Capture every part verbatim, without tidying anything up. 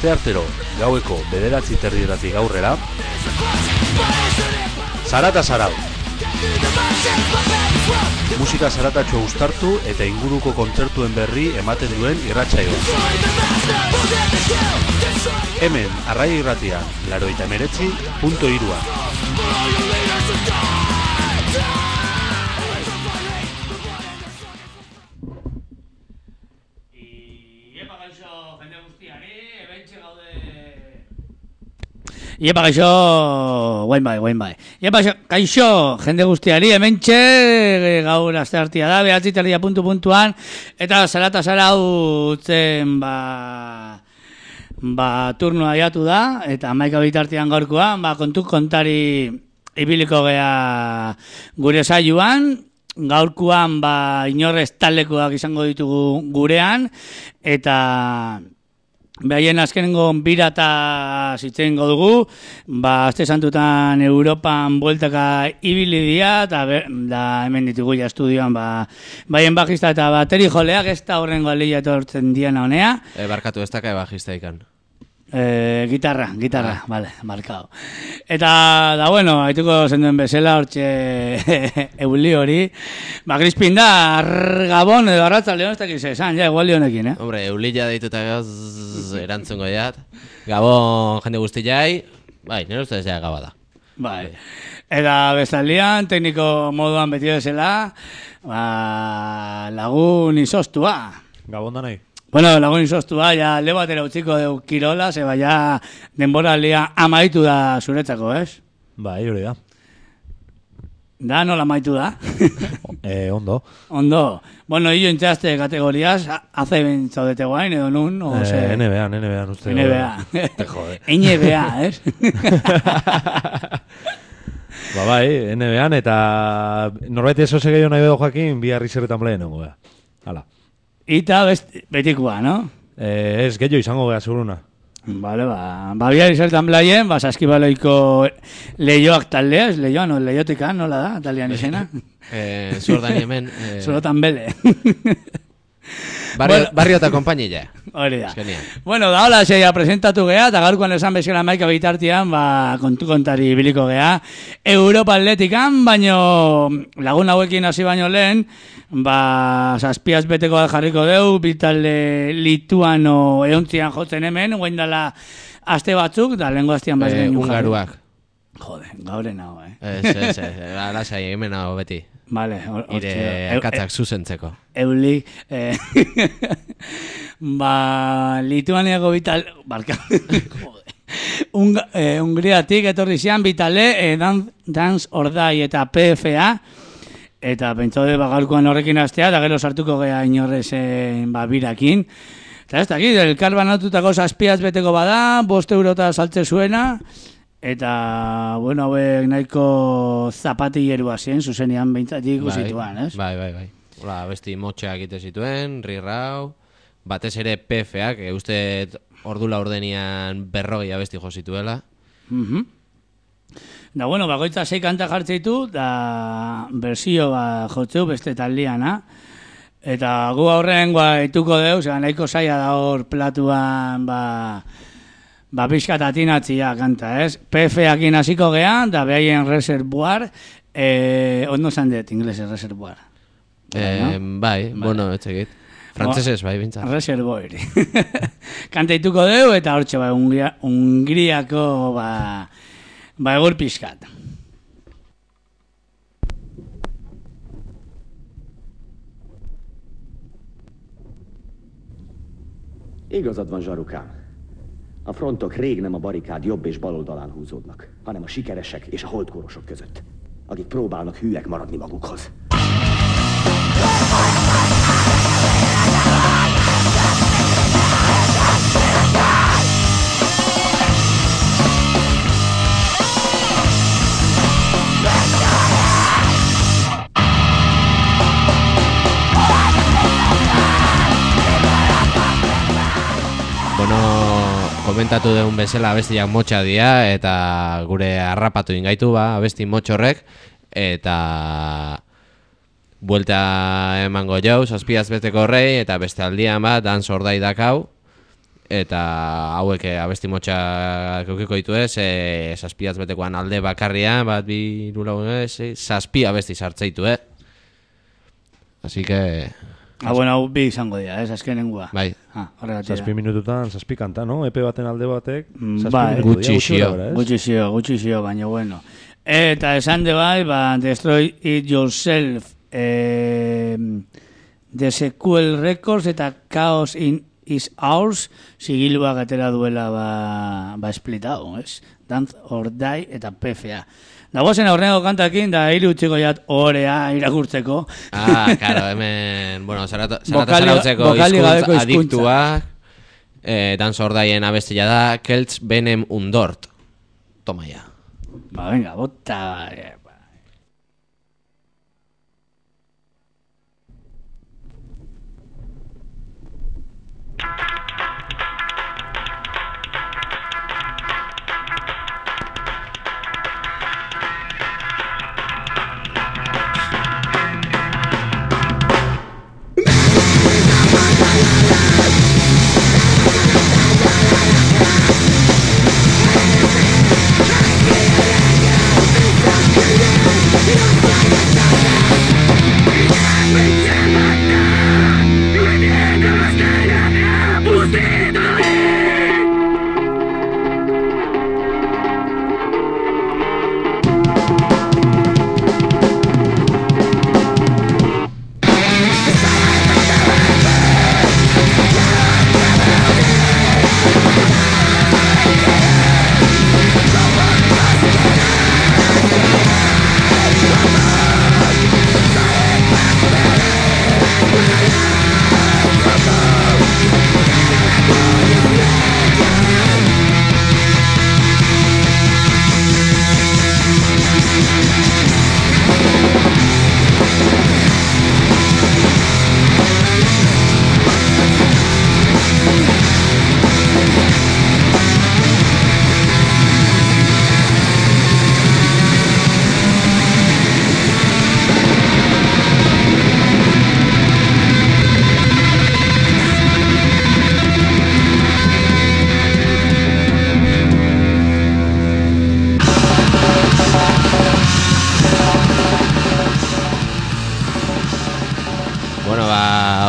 asteartero gaueko bederatzi terdietatik aurrera, Zarata Zarau. Musika zaratatxo uztartu eta inguruko kontzertuen berri ematen duen irratsaioa. Hemen, Arraia Irratia, laurogeita hemeretzi puntu hiru. Iepa gaixo, guain bai, guain bai. Iepa gaixo, jende guztiari, hementxe gaur asteartia da, behatzi terdia puntu puntuan, eta Zarata Zarau zen, ba, ba, turnoa jatu da, eta hamaika bitartian gaurkoan, ba, kontu kontari ibiliko gea gure saioan, gaurkoan, ba, inorrez taldekoak izango ditugu gurean, eta behaien azkenengo birata zitzen dugu, ba, azte santutan Europan bueltaka ibili dira, eta da hemen ditugu ja estudioan, ba, baien bajista eta bateri joleak, ez da horrengo alila etortzen dian honea. E, barkatu, ez daka bajista ikan. E, gitarra, gitarra, ah. Vale, markao. Eta, da bueno, haituko zenduen bezala, hortxe euli hori. Ba, Crispin da, Gabon edo Arratza León, ez dakiz esan, ja, egualdi honekin, eh? Hombre, eulilla deituta gauz erantzungo jat. Gabon jende guzti jai, bai, nire ustez ja gaba da. Bai. Eta bezalian, tekniko moduan beti bezala, ba, lagun izostua. Gabon da nahi. Bueno, lagun izostua, ja, le batera utziko deu kirola, zeba ja denbora lia amaitu da zuretzako, ez? Bai, hori da. Da, nola amaitu da? eh, ondo. Ondo. Bueno, hillo intzaste kategoriaz, haze ben zaudete guain, edo nun? O, eh, N B A, N B A, uste. N B A. Te jode. N B A, ez? Ba bai, N B A, eta norbait eso segeio nahi bedo joakin, bi harri zerretan pleen nengo, bea. Hala. Ita betikoa, no? Eh, ez, gehiago izango geha, seguruna. Vale, ba, ba biar izertan blaien, ba, saskibaloiko lehioak taldea, ez lehioa, no, lehiotika, nola da, taldean izena? eh, Zordani hemen. Eh... Zorotan bele. Barrio, bueno, barrio eta kompainilla. Hori da. Bueno, da, hola, zeia presentatu geha, eta gaurkoan esan bezala maika bitartian, ba, kontu kontari biliko geha. Europa Atletikan, baino lagun hauekin hasi baino lehen, ba, zazpiaz beteko jarriko deu, bitalde lituano eontzian jotzen hemen, guen dala aste batzuk, da lehenko astean bat eh, ungaruak. Jode, gauren hau, eh? Ez, ez, ez, alasai, hemen hau beti. Vale, ire akatzak zuzentzeko. Euli, eh, ba, Lituaniako bital, barka, Unga, eh, Ungriatik etorri zian bitale, eh, dan, Dance Ordai eta P F A, eta pentsaude bagalkoan horrekin astea, da gero sartuko gea inorrez eh, ba, birakin. Eta ez dakit, elkar banatutako zazpiaz beteko bada, bost eurota saltze zuena, eta, bueno, hauek nahiko zapatilleroa zien, zuzenean beintzatik ikusituan, ez? Bai, bai, bai. Hola, besti motxeak egite zituen, rirrau, batez ere P F ak, e, uste ordula ordenian berrogei abesti jo zituela. Mm-hmm. Da, bueno, bakoitza sei kanta jartzeitu, da bersio ba, jotzeu beste taldiana. Eta gu aurren guaituko deu, zera nahiko zaila da hor platuan, ba... Ba, pixkat atinatzia kanta, ez? P F akin hasiko gehan, da behaien reservoir, eh, ondo zan dut, inglese reservoir. Eh, no? Bai, vale. Bueno, etxegit. Frantzesez, bai, bintzat. Reservoir. Kantaituko deu, eta hortxe, ba, Ungria, Ungriako, ba, ba, egur pixkat. Igazad van, zsarukám. A frontok rég nem a barikád jobb és bal oldalán húzódnak, hanem a sikeresek és a holdkorosok között, akik próbálnak hűek maradni magukhoz. Bueno, komentatu deun bezala abestiak motxa dira, eta gure harrapatu ingaitu ba, abesti motxorrek, eta buelta emango jau, zazpiaz beteko horrei, eta beste aldian bat, Dance Ordai dakau, eta hauek eh, abesti motxak eukiko ditu ez, e, zazpiaz betekoan alde bakarrian, bat bi hiru ez, e, zazpi abesti sartzeitu, eh? Así que... Ah, bueno, hau bi izango dira, ez, azkenengua. Bai. Ah, horregatik da. Zazpi minututan, zazpi kanta, no? Epe baten alde batek, zazpi Bai. minutu dira, Gutxi xio. gora, ez? Gutxi zio, gutxi zio, baina bueno. Eta esan de bai, ba, Destroy It Yourself, eh, The Sequel Records eta Chaos in Is Ours, sigiluak atera duela ba, ba esplitau, ez? Dance or Die eta P F A. Dagozen aurreneko kantakin, da hiri utziko jat orea irakurtzeko. Ah, claro, hemen, bueno, zarata Bokali- zarautzeko bokali gabeko hizkuntza hizkuntza. adiktuak, eh, Dan Sordaien abestia da, Keltz Benem Undort. Toma ya. Ba, venga, bota... eh,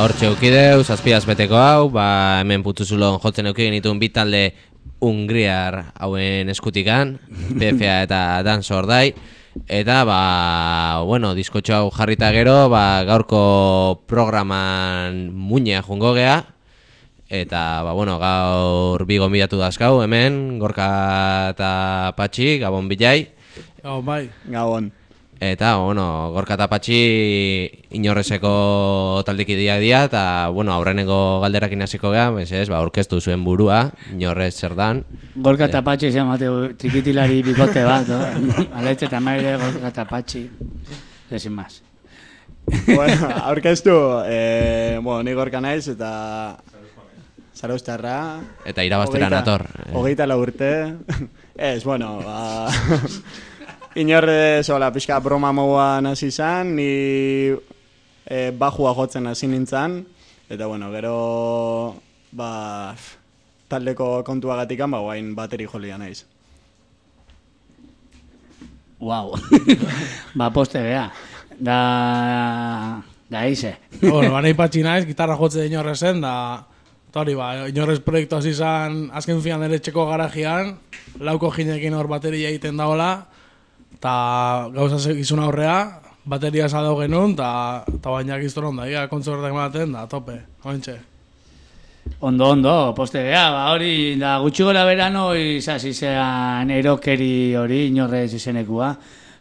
hortxe eukideu, zazpiaz beteko hau, ba, hemen putuzulon jotzen eukien dituen bi talde Hungriar hauen eskutikan, P F A eta Dan Sordai, eta, ba, bueno, diskotxo hau jarrita gero, ba, gaurko programan muñea jungo gea, eta, ba, bueno, gaur bi gonbidatu dazkau, hemen, Gorka eta Patxi, Gabon Bilai. Gabon bai. Gabon. Eta, bueno, Gorka eta Patxi inorrezeko taldekidia dira, eta, bueno, aurreneko galderakin hasiko gea, ez, ba, orkestu zuen burua, inorrez zer dan. Gorka eta Patxi izan mateu trikitilari bikote bat, no? Aletxe eta maire, Gorka eta Patxi, ezin maz. Bueno, aurkeztu, eh, bueno, ni Gorka naiz, eta Zarauztarra. Eta irabaztera nator. Hogeita lau urte. Ez, bueno, ba... Inorre zola pixka broma moguan hasi izan, ni e, bajua jotzen hasi nintzen, eta bueno, gero ba, taldeko kontuagatikan, ba, guain bateri jolia naiz. Wow. Ba, poste gea. Da... Da ize. Bueno, ba, nahi patxi naiz, gitarra jotze inorrezen, da... Eta hori, ba, inorrez proiektu hasi izan, azken fian ere txeko garajian, lauko jinekin hor bateria egiten daola, eta gauza segizun aurrea, bateria zadau genuen, eta bainak izton onda, ia kontzertak ematen, da, tope, hoentxe. Ondo, ondo, poste gea, ba, hori, da, gutxi gora berano, izaz izan erokeri hori, inorrez izenekua,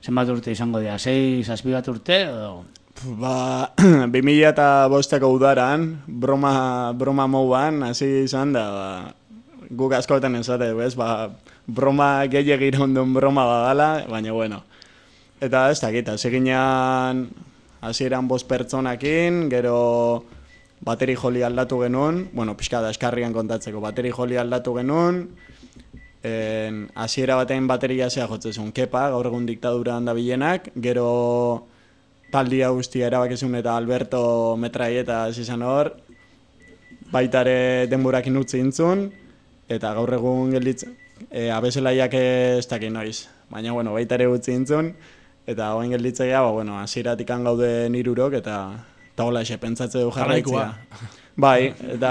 zenbat urte izango dira, sei, zazpi bat urte, edo... Ba, bi mila eta bosteko udaran, broma, broma mouan, hasi izan da, ba, guk askotan esate, bez, ba, broma gehiagir ondun broma badala, baina bueno. Eta ez dakit, hasi ginean, hasi eran bost pertsonakin, gero bateri joli aldatu genuen, bueno, pixka da eskarrian kontatzeko, bateri joli aldatu genuen, hasiera batean bateria zea jotzezun, Kepa, gaur egun diktadura handa bilenak, gero taldia guztia erabakezun eta Alberto Metraieta izan hor, baitare denborakin utzi intzun, eta gaur egun gelditzen, e, abeselaiak ez dakit noiz. Baina, bueno, baitare utzi intzun, eta hoen gelditzea, ba, bueno, hasieratik gaude nirurok, eta eta hola exe, pentsatze du jarraitzea. Bai, eta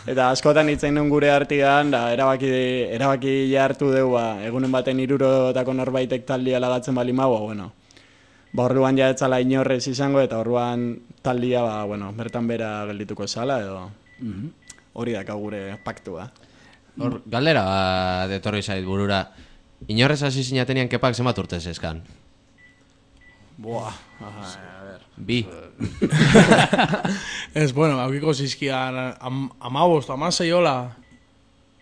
eta askotan hitzein duen gure artean, da erabaki erabaki hartu dugu, ba, egunen baten hirurotako norbaitek taldia lagatzen bali mago, bueno. Ba, orduan ja etzala inorrez izango, eta orduan taldia, ba, bueno, bertan bera geldituko zala, edo hori daka gure paktua. Hor, galdera bat etorri zait burura. Inorrez hasi zinatenian kepak zenbat urtez eskan? Buah, a ver. Bi. Ez, bueno, haukiko zizkian am, amabost, amasei hola.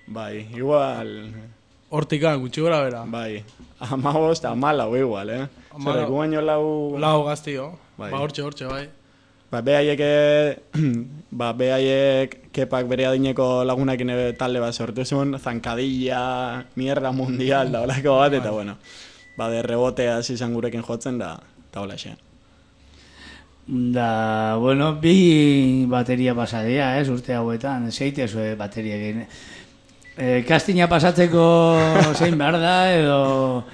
Bai, igual... Hortikan, gutxi gora bera. Bai, amabost, amalau igual, eh? Zer, egu baino lau... Lau gaztio, bai. Ba, hortxe, hortxe, bai. Ba, behaiek, ba, behaiek kepak bere adineko lagunakin talde bat sortu zuen, zankadilla, mierda mundial, da holako bat, eta bueno, ba, de rebotea izan gurekin jotzen, da, da hola xe. Da, bueno, bi bateria pasadea, ez, urte hauetan, zeite zue bateria egin. E, kastina pasatzeko zein behar da, edo...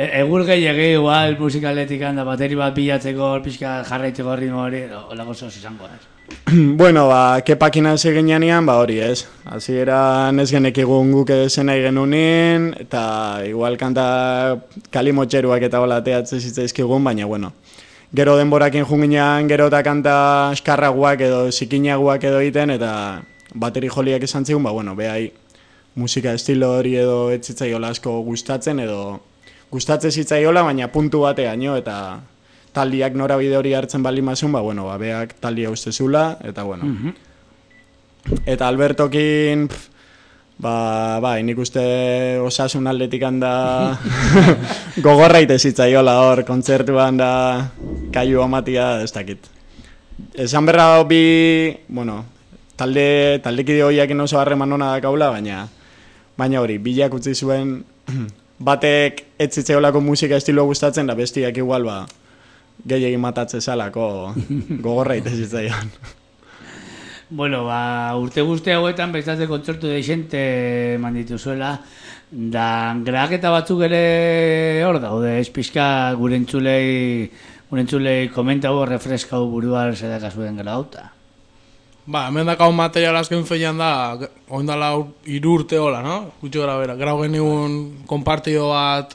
Egur gehiagi igual musikaletik handa bateri bat bilatzeko pixka jarraitzeko ritmo hori, olako zoz izango, ez? Bueno, ba, kepakin hasi ginean, ba hori, ez? Hasieran ez genekigun guk zen nahi genunin, eta igual kanta kalimotxeruak eta hola teatze zitzaizkigun, baina, bueno, gero denborakin junginean, gero eta kanta eskarraguak edo zikinaguak edo egiten, eta bateri joliak esan zigun, ba, bueno, behai musika estilo hori edo etzitzaiola asko gustatzen, edo gustatzen zitzaiola, baina puntu bateaino, eta taldiak norabide hori hartzen bali mazun, ba, bueno, ba, beak taldia ustezula, eta, bueno. Mm-hmm. Eta Albertokin, pff, ba, ba, nik uste osasun aldetik handa gogorraite zitzaiola hor, kontzertuan da kaiu amatia, ez dakit. Esan berra bi, bueno, talde, taldekide horiakin oso harreman hona dakaula, baina, baina hori, bilak utzi zuen, batek ez zitzailako musika estiloa gustatzen, da bestiak igual, ba, gehiagin matatze zalako gogorraite zitzaion. Bueno, ba, urte guzti hauetan bezatzen kontzertu deixente manditu zuela, da graketa batzuk ere hor daude, ez pixka gure entzulei, gure entzulei komentago, refreskau buruan zedakazuen grauta. Ba, hemen dakau material azken feian da, oindala hiru urte hola, no? Gutxi gara bera. Grau genigun konpartido bat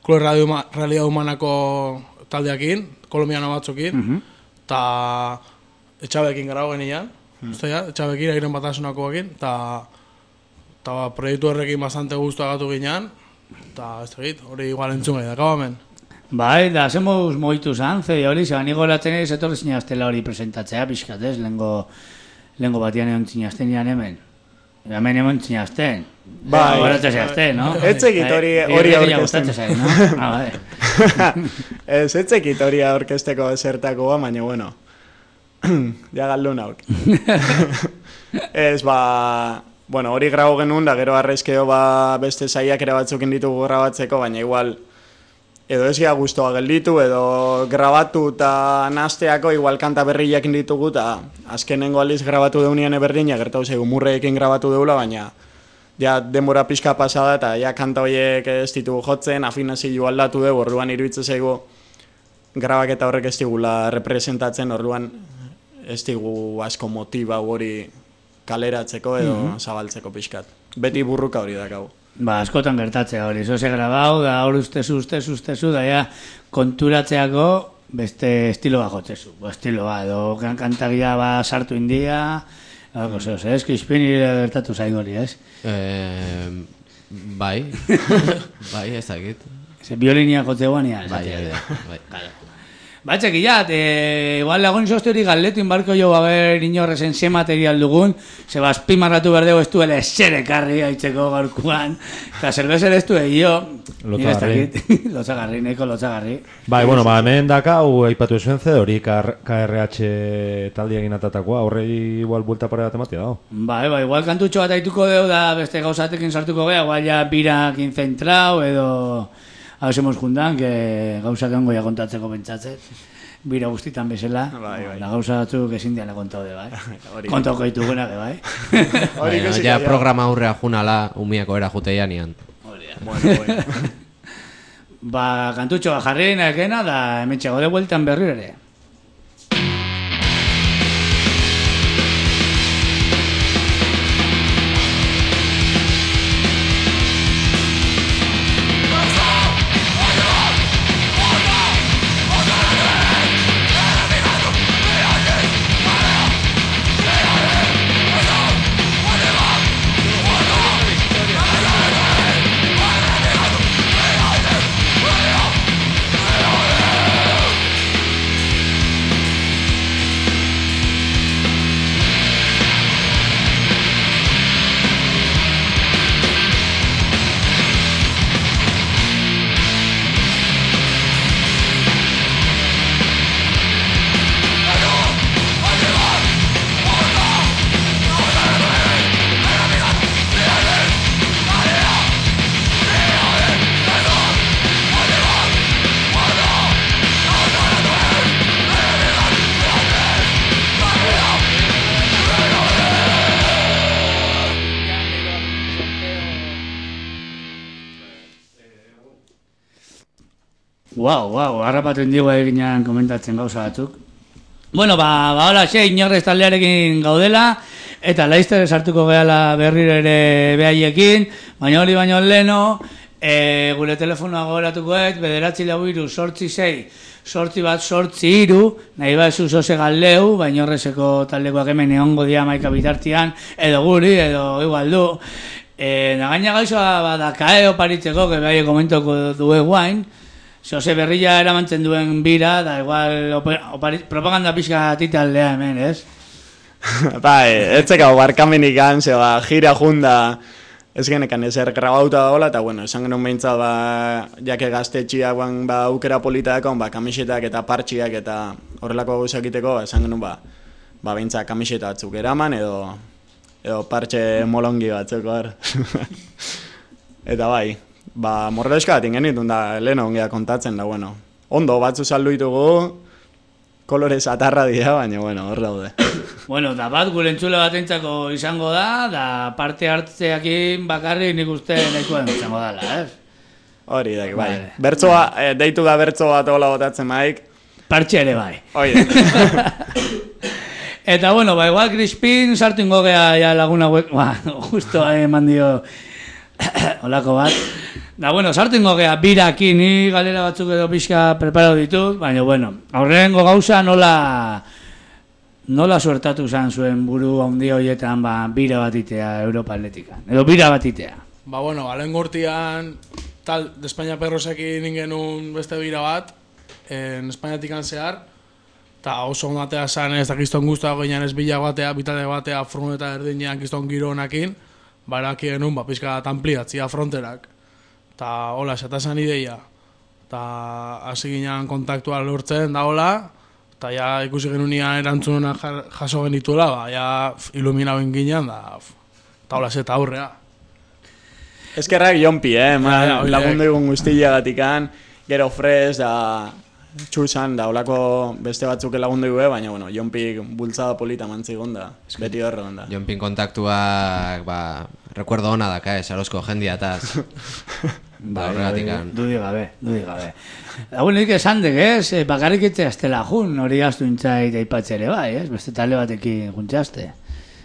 Klo Radio Realidad Humanako taldeakin, kolombiano batzukin, eta uh -huh. etxabekin grau genian, uh -huh. etxabekin, agiren batasunakoekin, eta ba, proiektu horrekin bastante guztu agatu ginean, eta ez tegit, hori igual entzun gai dakau hemen. Bai, da, zemuz moitu zan, zei hori, zeban igolatzen ez etorri zinaztela hori presentatzea, pixkatez, lehengo... Lengo batian egon zinazten hemen. Hemen egon zinazten. Bai. Horatzen zinazten, no? Etzekit hori hori aurkezten. No? Ah, bai. Ez, etzekit hori aurkezteko zertakoa, baina, bueno. Ja galdun hauk. Ez, ba... Bueno, hori grau genuen, da gero arrezkeo ba beste zaiak ere batzukin ditugu grabatzeko, baina igual... Edo ez gea guztua gelditu, edo grabatu eta nasteako igual kanta berriak ditugu, eta azkenengo aliz grabatu deunian eberdina, gertau zego murreekin grabatu deula, baina ja denbora pixka pasada eta ja kanta horiek ez ditugu jotzen, afinazio aldatu dugu, orduan iruditzen zego grabaketa horrek ez digula representatzen, orduan ez digu asko motiba hori kaleratzeko edo mm-hmm. zabaltzeko pixkat. Beti burruka hori dakau. Ba, askotan gertatzea hori, zoze grabau, da hor ustezu, ustezu, ustezu, da ja konturatzeako beste estilo bat jotzezu, estilo bat, edo kantagia ba sartu india, algo zehoz, ez, kispini gertatu zain hori, ez? Eh, bai, bai, ez dakit. Ze biolinia jotzeuan, ja, bai, bai, bai. Ba, txekillat, e, igual lagun izozte hori galdetu inbarko jo, haber inorrezen ze material dugun, ze bazpimarratu berdeu ez duela eser ekarri haitzeko gaurkuan, eta zerbezer ez du egio, lotzagarri, lotzagarri, neko lotzagarri. Bai, bueno, ba, hemen dakau, aipatu esuen ze, hori K R H taldi egin atatakoa, horrei igual buelta pare bat ematia dago. Bai, bai, igual kantutxo bat aituko deu da beste gauzatekin sartuko geha, igual ja birakin zentrau, edo... Hau zemuz juntan, que gauzak ongo ja kontatzeko pentsatzet. bira guztitan bezala, Bai, bai. la gauza batzuk ezin diana kontaude, bai. Hori. Kontauko ditugunak, bai. Hori Baina, ikusiko, ja ja. programa aurrea junala, umiako era juteia nian. Bueno, bueno. Ba, kantutxo jarri nakena, da hemen txago de bueltan berri ere. Wow, wow, harrapatzen digu eginean komentatzen gauza batzuk. Bueno, ba, ba hola, xe, inorrez taldearekin gaudela, eta laizter sartuko gehala berriro ere behaiekin, baina hori baino leno, e, gure telefonoa gogoratuko ez, bederatzi lau iru, sortzi sei, sortzi bat, sortzi iru, nahi bat zu zoze galdeu, baina horrezeko taldekoak hemen egongo dia maika bitartian, edo guri, edo igual du. E, nagaina gaizoa badakae oparitzeko, que behaie komentoko due guain, Jose Berrilla eramantzen duen bira, da igual opari, propaganda pixka titaldea hemen, ez? Bai, etzeka barkamenik gan, ze ba, gira junda, ez genekan ezer grabauta dagoela, eta bueno, esan genuen behintzat, ba, jake gaztetxiak, ban, ba, aukera politaekon, ba, kamisetak eta partxiak eta horrelako gauzak egiteko, ba, esan genuen, ba, ba, behintzat kamiseta batzuk eraman, edo, edo partxe molongi batzuk, hor. Eta bai, ba, morredoska bat ingenitun da, lehen ongea kontatzen da, bueno. Ondo, batzu saldu ditugu, kolorez atarra dira, baina, bueno, hor daude. Bueno, da bat gure entzule batentzako izango da, da parte hartzeakin bakarri nik uste nahikoen izango dala, ez? Hori da, bai. Vale. Bertzoa, eh, deitu da bertzo bat hola botatzen maik. Partxe ere bai. Hori Eta bueno, ba, igual Crispin sartu ingo gea ja laguna hauek, ba, justo eman dio olako bat. Da, bueno, sartu ingo gea birakin, ni galera batzuk edo pixka preparatu ditut, baina, bueno, aurrengo gauza nola nola suertatu zan zuen buru handi horietan, ba, bira batitea Europa Atletikan, edo bira batitea. Ba, bueno, alen gortian, tal, de España Perrosekin ingenun beste bira bat, en Espainiatikan zehar, eta oso ondatea zan ez da kiston guztua goinan ez bila batea, bitale batea, froneta erdinean kiston gironakin, baraki genuen, ba, pixka ampliatzia fronterak. Eta hola, esatazan ideia. Eta hasi ginean kontaktua lortzen da hola, eta ja ikusi genunean erantzunena jaso genituela, ba, ja ilumina ben ginean, da, eta hola, zeta aurrea. Eskerrak jonpi, eh, ma, Ja, ja, horiek. lagundu egun guztia gatikan, gero fres, da, txusan, da, holako beste batzuk lagundu egun, baina, bueno, jonpi bultzada polita mantzigun da, beti horre da. Jonpin kontaktuak, ba, recuerdo hona daka, ez, arozko jendiataz. Ba, horregatikan. Dudi gabe, dudi gabe. Dagoen nik esan dek, ez? Eh, bakarrik itzea estela jun, hori gaztu intzait aipatze ere bai, ez? Beste talde batekin juntxaste.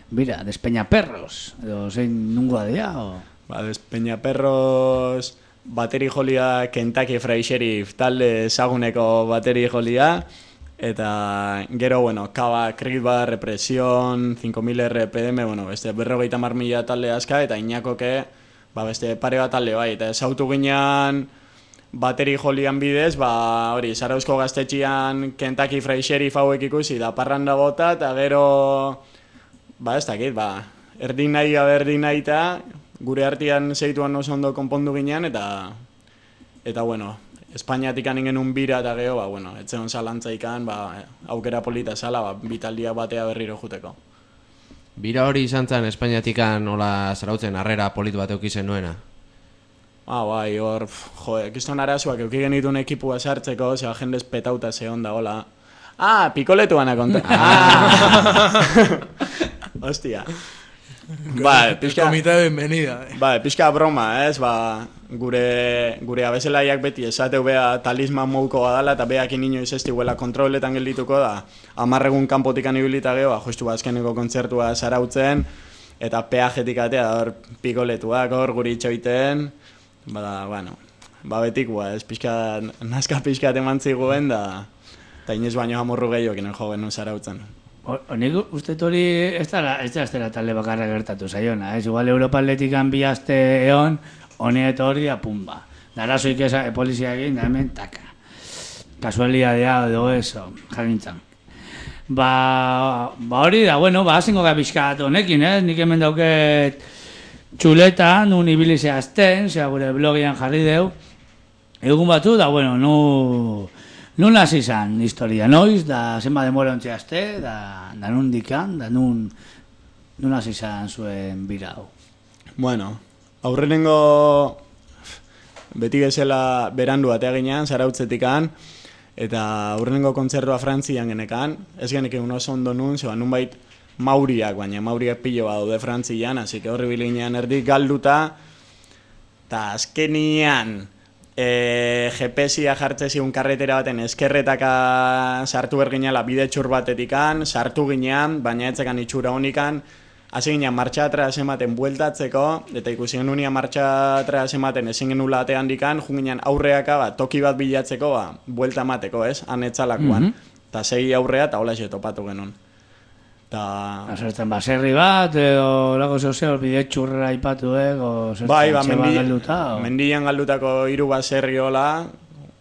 Bira, Despeñaperros, edo zein nungoa dira, o... Ba, Despeñaperros bateri jolia Kentucky Fried Sheriff talde ezaguneko bateri jolia, eta gero, bueno, Kaba, Kriba, Represión, cinco mil R P M, bueno, beste berrogeita mar mila talde aska, eta Inakoke, ba, beste pare bat talde bai, eta ezautu ginean bateri jolian bidez, ba, hori, Zarauzko gaztetxian Kentucky Fried Sheriff hauek ikusi, da parranda bota, eta gero, ba, ez dakit, ba, erdin nahi gabe erdin nahi eta gure artean zeituan oso ondo konpondu ginean, eta, eta bueno, Espainiatik aningen un bira eta geho, ba, bueno, etzeon zalantzaikan, ba, aukera polita zala, ba, bitaldia batea berriro juteko. Bira hori izan zen Espainiatikan nola zarautzen harrera politu bat eukizen nuena. Ah, bai, hor, pf, jo, ekizton arazoak euki genituen ekipua sartzeko, zera jendez petauta zehon da, hola. Ah, pikoletuana konta. Ah. Hostia. Ba, pixka... Komite bienvenida. Eh. Ba, pixka broma, ez? Ba, gure, gure abezelaiak beti esateu bea talisman mouko badala, eta beakin inoiz ez diguela kontroletan geldituko da. Amarregun kanpotikan ibilita geho, ba, justu azkeneko kontzertua zarautzen, eta peajetik atea, hor pikoletuak, hor guri itxoiten, bada, bueno, ba betikua, ez pixka, nazka pixka eman ziguen, da, eta inoiz baino amorru gehiokin jo genuen zarautzen. Honik uste hori ez da ez da talde bakarra gertatu zaiona, ez? Igual Europa Atletikan bi aste egon, honi eta hori apumba. Darazoik eza, polizia egin, da hemen, taka. Kasualidadea edo eso, jarintzan. Ba, ba hori da, bueno, ba, hasingo ga bizkat honekin, ez? Nik hemen dauket txuleta, nun ibilize azten, zera gure blogian jarri deu. Egun batu, da, bueno, nu... Nun hasi izan historia, noiz, da zenba demora ontsi azte, da, da nun dikan, da nun, nun hasi izan zuen bira hau. Bueno, aurrenengo beti gezela berandu atea ginean, zarautzetikan, eta aurrenengo kontzertua Frantzian genekan, ez genek egun oso ondo nun, zeba nun bait mauriak, baina mauriak pilo bat daude Frantzian, hasi que horri bilinean erdik galduta, eta azkenian, E, G P S-ia jartze zigun karretera baten eskerretaka sartu berginala bide txur batetikan, sartu ginean, baina etzekan itxura honikan, hasi ginean martxatra ematen bueltatzeko, eta ikusi genunia martxatra ematen ezin genula atean dikan, jun ginean aurreaka, ba, toki bat bilatzeko, ba, buelta emateko, ez, anetzalakoan, eta mm-hmm. segi aurrea, eta hola xe topatu genuen. Ta... Azertzen baserri bat, edo lago zeu bide txurra ipatu, ego, zertzen bai, ba, txeba mendi, galduta, o... mendian galdutako hiru baserri hola,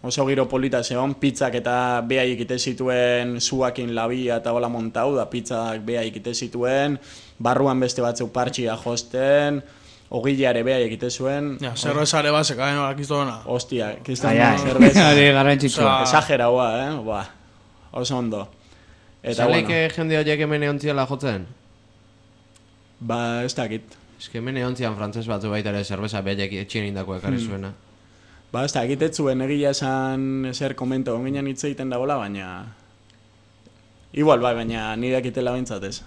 oso giro polita zeon, pizzak eta beha ikite zituen zuakin labia eta hola montau, da pizzak beha ikite zituen, barruan beste batzuk partxia josten, ogileare beha ikite zuen. Ja, zerbezare bat zekaden horak iztona. Hostia, kizten zerbeza. Ari garrantzitsua. Esageraua, eh? Ba, oso ondo. Zaleik bueno. Jende horiek hemen eontziala jotzen? Ba, ez dakit. Ez que hemen eontzian frantzes batzu baita ere zerbeza behek etxien indako ekarri zuena. Hmm. Ba, ez dakit ez zuen egia esan ezer komento onginan hitz egiten dagoela, baina... Igual, bai, baina nire dakitela bintzatez.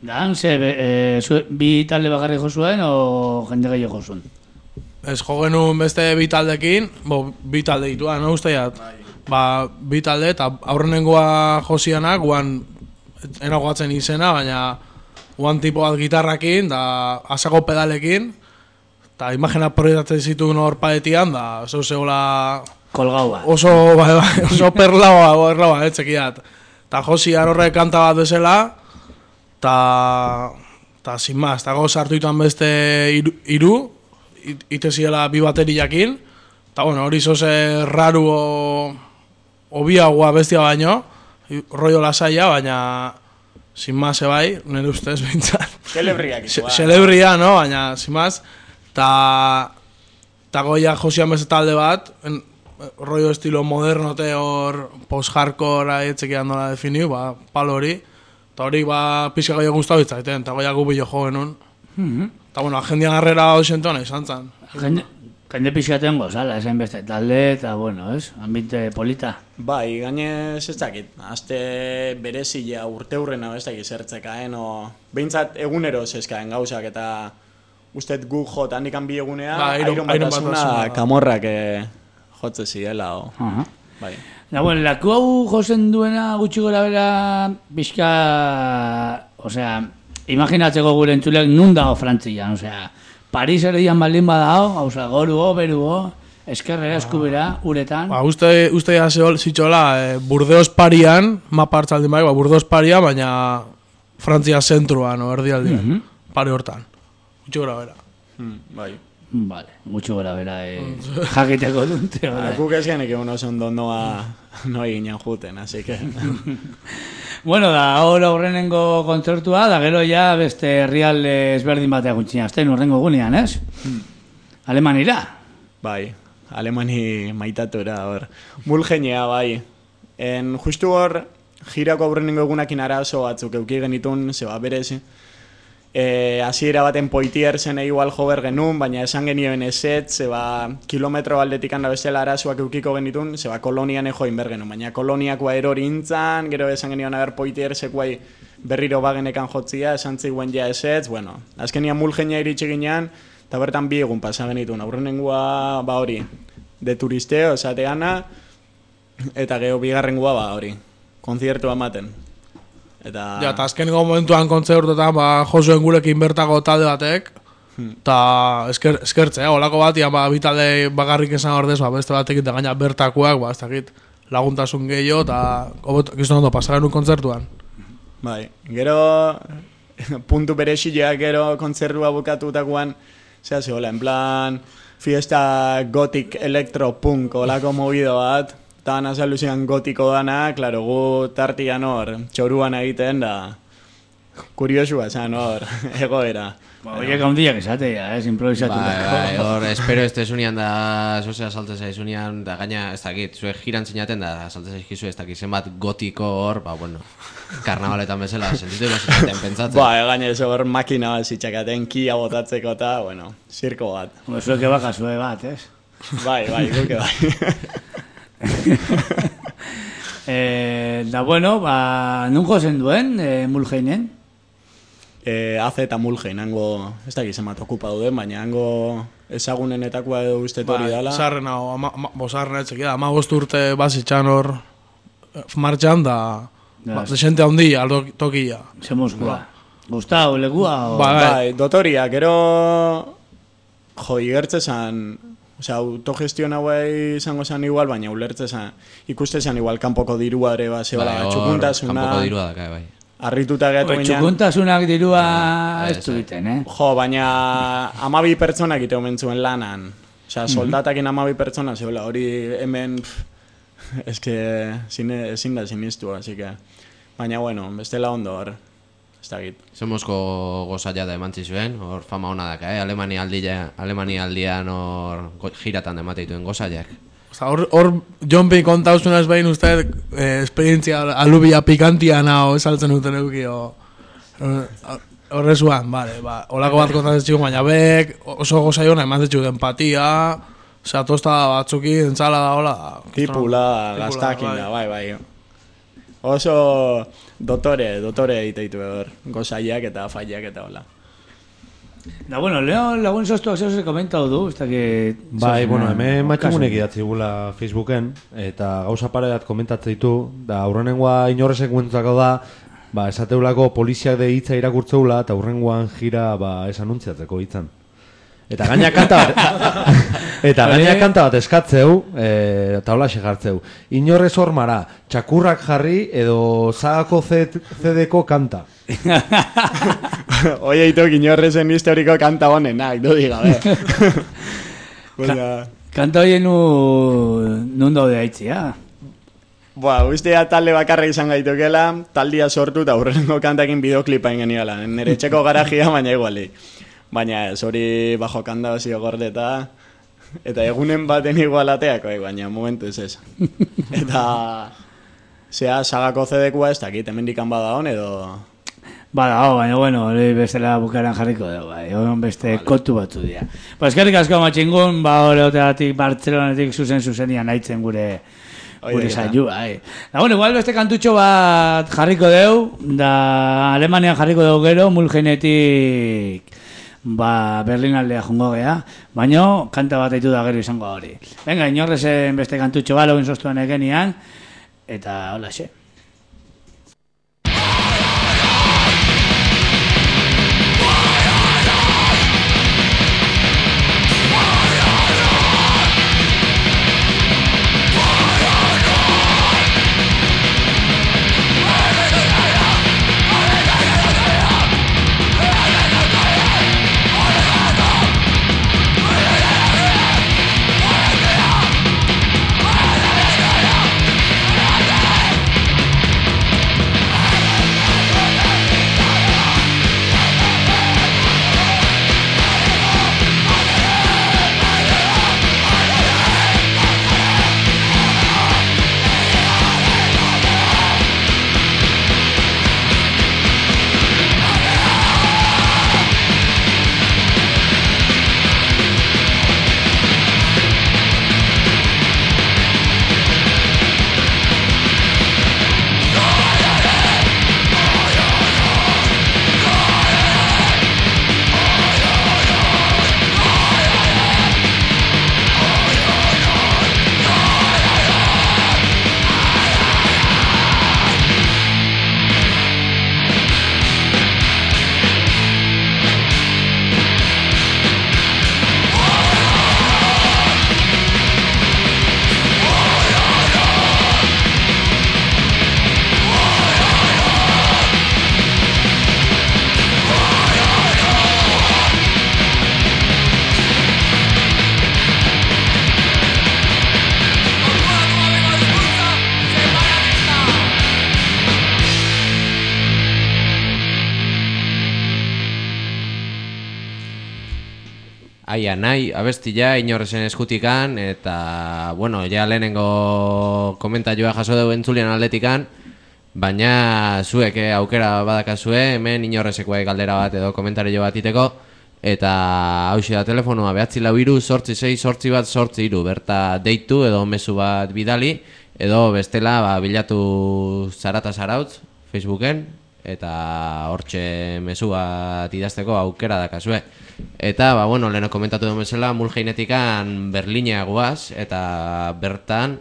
Dan, ze, e, zu, bi talde bakarri jozuen o jende gehiago jozuen? Ez jo genuen beste bi taldekin, bo, bi talde dituan, no usteiat? Bai. Ba, bi talde, eta aurrenengoa josianak, guan enagoatzen izena, baina guan tipo bat gitarrakin, da asako pedalekin, eta imagina proietatzen zituen hor paetian, da oso zegoela... Kolgaua. Oso, bai, bai, oso perlaua, erlaua, etxekiat. Eta josian horrek kanta bat bezala, eta... Eta, sin más, eta goz hartu ituan beste iru, iru iteziela bi bateriakin, eta, bueno, hori zoze raru o... Obiagoa bestia baino, rollo lasaia, baina sin más bai, nire ustez bintzat. Celebriak ikuan. Celebria, no? Baina, sin más, ta, ta goia josian beste talde bat, en, rollo estilo modernote hor post-hardcore etxekian nola definiu, ba, palo hori, eta hori ba, pizka goia guztau itzaiten, eta goia gubillo jo genuen. Mm-hmm. Eta bueno, agendian arrera oxentona izan zan. Jende... Jende pixaten gozala, esain beste talde, eta bueno, ez? Ambite polita. Bai, gainez ez dakit, azte berezia urte hurrena ez dakit zertzekaen, o... Behintzat egunero zezkaen gauzak, eta ustet gu jot handikan bi egunea, ba, airon batasuna kamorrak eh, jotze ziela, o... Uh-huh. Bai. Da, bueno, laku hau jozen duena gutxi gora bera, pixka... Osea, imaginatzeko gure entzulek nun dago Frantzian, osea... Paris erdian baldin badao, hauza, goruo, beruo, eskerrera, eskubera, uretan. Ba, uste, uste ya zitxola, eh, Burdeos Parian, mapa hartzaldin bai, ba, Burdeos Parian, baina Frantzia zentruan, o erdialdian, mm-hmm. Pari hortan. Gutxi gora bera. Hmm, bai. Vale, gutxi gora bera, eh, jakiteko dunte. Guk ez genek egun oso ondo noa, noa eginen juten, así que... Bueno, da, ahora horrenengo kontzertua, da gero ja beste herrialde ezberdin bateak gutxina, azten horrengo gunean, ez? Hmm. Alemanira? Bai, alemani maitatura, hor. Mulgenea, bai. En, justu hor, jirako aurrenengo egunakin arazo batzuk euki genitun, zeba berez, E, hasiera baten Poitier zen igual jo ber genuen, baina esan genioen eset, zeba kilometro aldetik handa bestela arazoak eukiko genitun, zeba kolonian ejoin ber genuen, baina koloniakoa erori intzan, gero esan genioen aber Poitier sekuai berriro bagenekan jotzia, esan ziguen ja eset, bueno, azkenian Mulgenia iritsi ginean, eta bertan bi egun pasa genitun, aurrenengua ba hori, de turisteo, esateana, eta gero bigarrengua ba hori, konziertua ematen. Eta... Ja, eta azkeniko momentuan kontzertuetan, ba, Josuen gurekin bertako talde batek, eta esker, eskertzea, olako bat, ia, ba, bitalde bakarrik esan ordez, ba, beste batek eta gaina bertakoak, ba, ez dakit, laguntasun gehiago, eta gizton ondo pasaren un kontzertuan. Bai, gero, puntu berexileak gero kontzertua bukatutakoan, zera zehola, en plan, fiesta gothic electropunk, olako movido bat, eta azalduzian gotiko dana, klaro, gu tartian hor, txoruan egiten da, kuriosua esan hor, egoera. Ba, oiek handiak esatea, ez, improvisatu. Bai, bai, hor, espero ez tezunean da, zozea salte zaizunean, da gaina, ez dakit, zuek jiran zinaten da, salte zaizkizu, ez dakit, zenbat gotiko hor, ba, bueno, karnabaletan bezala, sentitu ibasitaten pentsatzen. Ba, gaina ez hor makina bat zitxakaten, kia botatzeko eta, bueno, zirko bat. Ba, zueke baka zue bat, ez? Bai, bai, guke bai. eh, da bueno, ba, nunko zen duen, eh, Mulgeinen? Eh, Aze eta Mulgein, hango, ez da gizemat okupa duden, baina hango ezagunenetakoa edo uste tori ba, dala. Zarren hau, bosarren etxek, da, ama urte bazitxan hor martxan da, ba, desente handi aldo tokia. Ze Moskua. Gustau, legua? O... Ba, bai, dotoria, gero jo, igertze zan, osea, autogestion hauei izango zan igual, baina ulertze zan, ikuste zan igual kanpoko dirua ere, ba, zebala, bai, txukuntasuna. Kanpoko dirua daka, bai. Arrituta gehatu ginean. Txukuntasunak dirua ez duiten, eh? Jo, baina amabi pertsonak ite omen zuen lanan. Osea, soldatakin amabi pertsona, zebela, hori hemen, pff, eske, ezin da sinistu, así que, baina, bueno, bestela ondo hor, ez da git. Zemosko gozaia da emantzi zuen, hor fama hona daka, eh? Alemania aldia, Alemania aldian hor giratan emate dituen gozaiak. Hor, hor John P. kontauzunaz behin uste eh, esperientzia alubia pikantia nao esaltzen duten euki horrezuan, bale, ba, olako bat kontatzen txiko, baina bek oso gozai hona eman zetxuk empatia, osea, tosta batzuki, entzala da, hola. Tipula, gaztakin da, bai, bai. Oso dotore, dotore egiteitu hor, gozaiak eta faiak eta hola. Da, bueno, leo lagun soztuak zeu ze komentau du, ez da que... Bai, bueno, hemen matxamunek idatzi gula Facebooken, eta gauza pareat komentatzen ditu, da aurrenengoa inorrezek guentzako da, ba, esateulako poliziak de hitza irakurtzeula, eta aurrengoan jira, ba, ez anuntziatzeko hitzan. Eta gaina kanta bat, eta gaina kanta bat eskatzeu, e, eta hola segartzeu. Inorrez hormara, txakurrak jarri edo zagako C D-ko kanta. Oie, itok inorrezen historiko kanta honenak, du diga, be. Ka kanta hoien nu, nun daude aitzia. Boa, ustea talde bakarra izan gaitokela, taldia sortu eta aurrengo kantakin bideoklipa ingeniala. Nere txeko garajia, baina iguali. Baina ez, hori bajo kanda hozio gordeta, eta egunen baten igualateako, baina momentu ez ez. Eta, zea, sagako C D-koa ez dakit, hemen dikan bada hon edo... Bada, oh, baina, bueno, hori bestela bukaran jarriko dugu, bai, hori beste vale. Kontu batzu dira. Ba, eskerrik asko matxingun, ba, hori oteatik Bartzelonetik zuzen zuzenian haitzen gure... Gure saio, bai. Da, bueno, igual beste kantutxo bat jarriko deu, da Alemanian jarriko deu gero, Mulgenetik... Ba, Berlin aldea jongo gea, baina kanta bat aitu da gero izango hori. Venga, inorrezen beste kantutxo bat, login soztuan egenian, eta hola xe. We'll be right back. aia nahi abestia inorrezen eskutikan, eta, bueno, ja lehenengo komentaioa jaso dugu entzulian atletikan, baina zuek eh, aukera badakazue, hemen inorrezekoa galdera bat edo komentario bat iteko, eta hauxe da telefonoa, behatzi lau iru, sortzi sei, sortzi bat, sortzi iru, berta deitu edo mezu bat bidali, edo bestela ba, bilatu Zarata Zarautz Facebooken, eta hortxe mezu bat idazteko aukera dakazue. Eta, ba, bueno, leheno komentatu duen bezala, Mulheinetikan Berlinea guaz, eta bertan,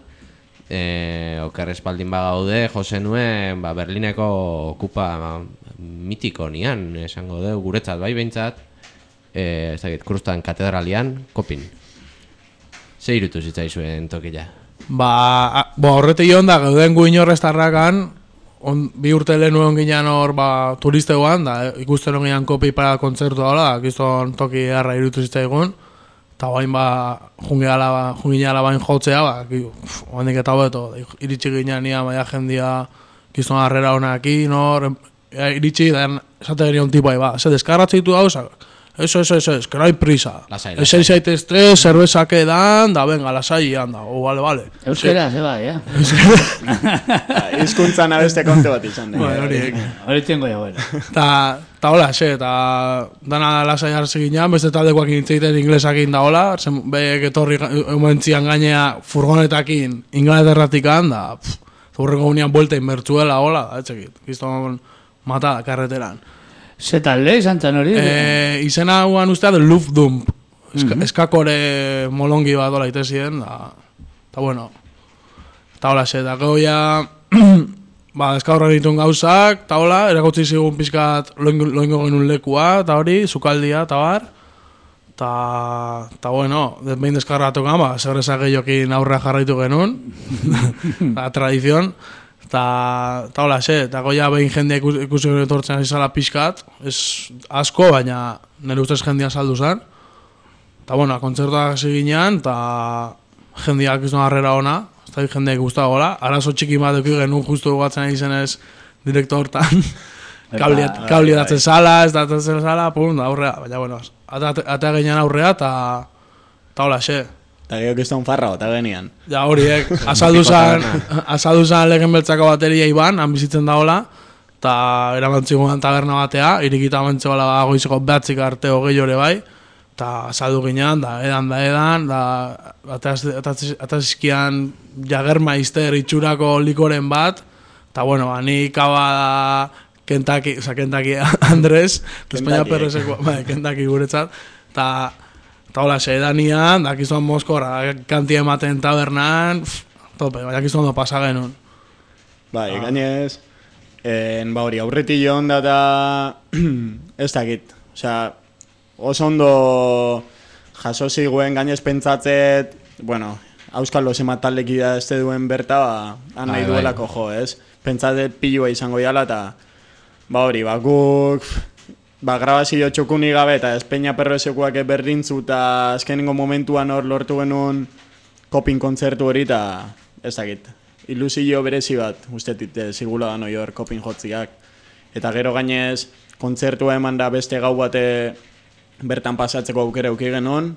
e, oker espaldin bagaude, jose nuen ba, Berlineko kupa ba, mitiko nian, esango dugu guretzat, bai behintzat, e, ez dakit, Krustan katedralian, kopin. Ze irutu zitzaizuen tokila? Ba, bo, horrete joan da, gauden gu inorrestarrakan, on, bi urte lehen nuen ginean hor ba, turistegoan, da ikusten hon ginean kopi para kontzertu daula, gizton toki harra irutu zitzaigun, eta bain ba, jungiala bain jotzea, ba, hondik eta hobeto, iritsi ginean nia, baina jendia gizton harrera honakin, hor, iritsi, da esate genion tipai, ba, ze deskarratzeitu gauzak, Eso, eso, eso, es que no hay prisa. Lasai, lasai. Ese zaitezte, zerbeza que dan, da, venga, lasai, anda, o, vale, vale. Euskera, ze bai, eh? Hizkuntzan abeste kontu bat izan. Bueno, horiek. Hori tengo ya, bueno. Ta, ta hola, xe, ta, dana lasai hartze ginean, beste taldekoak intzeiten inglesakin da hola, zen behek etorri ementzian gainea furgonetakin inglaterratikan, da, zurrengo unian buelta inbertzuela, hola, da, etxekit, gizton mata karreteran. Ze talde izan zen hori? E, izena guan ustea de Luftdump. Eska, mm -hmm. Eskakore molongi bat dola itezien, da, ta bueno, ta hola xe, da goia, ba, eskaurra ditun gauzak, ta hola, erakutzi zigun pizkat loingo genuen lekua, ta hori, sukaldia, ta bar, ta, ta bueno, behin deskarratu gama, segresa gehiokin aurrea jarraitu genuen, la tradizion, Ta, ta hola, xe, eta goia behin jendea ikusi etortzen izala pixkat, ez asko, baina nire ustez jendea saldu zen. Eta, bueno, kontzertuak hasi ginean, eta jendeak izan harrera ona, ez da jendeak guztago gola. Arazo txiki bat eki genuen justu guatzen ari zenez direkto hortan. Kabli datzen sala, ez datzen sala, pum, da aurrea. Baina, bueno, atea ginean aurrea, eta hola, xe. Eta gehiok izan farra, eta genian. Ja, horiek, azaldu zan legen beltzako bateria iban, han bizitzen da hola, eta eramantzikoan taberna batea, irikita mantzegoela goizeko behatzik arte hogei hori bai, eta azaldu ginean, da edan, da edan, da atazizkian jagerma izter itxurako likoren bat, eta bueno, ani kaba da Kentucky, oza, Kentucky Andres, España Perrezeko, bai, Kentucky guretzat, eta Eta hola, sedanian, dakizuan Moskorra, kantia ematen tabernan, pff, tope, dakizuan do pasa genuen. Bai, ah. Gainez, en, ba hori, aurreti joan da eta ez dakit. Osea, oso ondo jaso ziguen gainez pentsatzet, bueno, Auskalo zemataldeki da ez duen berta, ba, han nahi duelako jo, ez? Pentsatzet pilua izango jala, eta ba hori, ba, guk... Ba, grabazio txokuni gabe eta Espeña Perrezekuak berdintzu eta azkenengo momentuan hor lortu genuen kopin kontzertu hori eta ez dakit. Ilusio berezi bat, ustetit, zigula da noi hor kopin jotziak. Eta gero gainez, kontzertua eman da beste gau bate bertan pasatzeko aukera euki genuen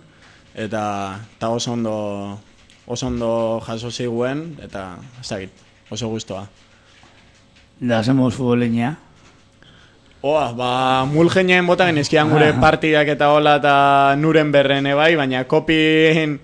eta, eta oso ondo, oso ondo jaso ziguen eta ez dakit, oso guztua. Da, hacemos futboleña. Oa, ba, Mulheinien bota genizkian gure partidak eta hola eta nuren berren ebai, baina kopin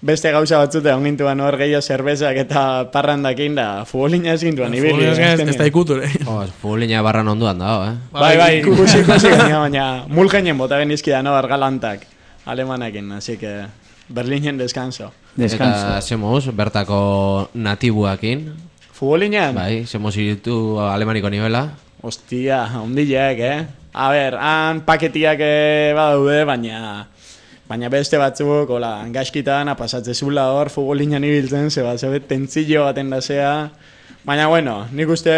beste gauza batzute ongintuan hor gehiago zerbezak eta parrandakin da futbolina ez gintuan ibili. Futbolina ez da ikuture. Futbolina barran onduan dago, eh? Bai, bai, ikusi ikusi genia, baina Mulheinien bota genizkian no, argalantak alemanakin, así que Berlinen descanso. Descanso. Eta semos bertako natibuakin. Futbolinean? Bai, semos iritu alemaniko nivela. Ostia, ondileak, eh? A ber, han paketiak badaude, baina baina beste batzuk, hola, gaizkitan apasatzezula hor, futbolinan ibiltzen, zeba, zebe, tentzillo baten dasea. Baina, bueno, nik uste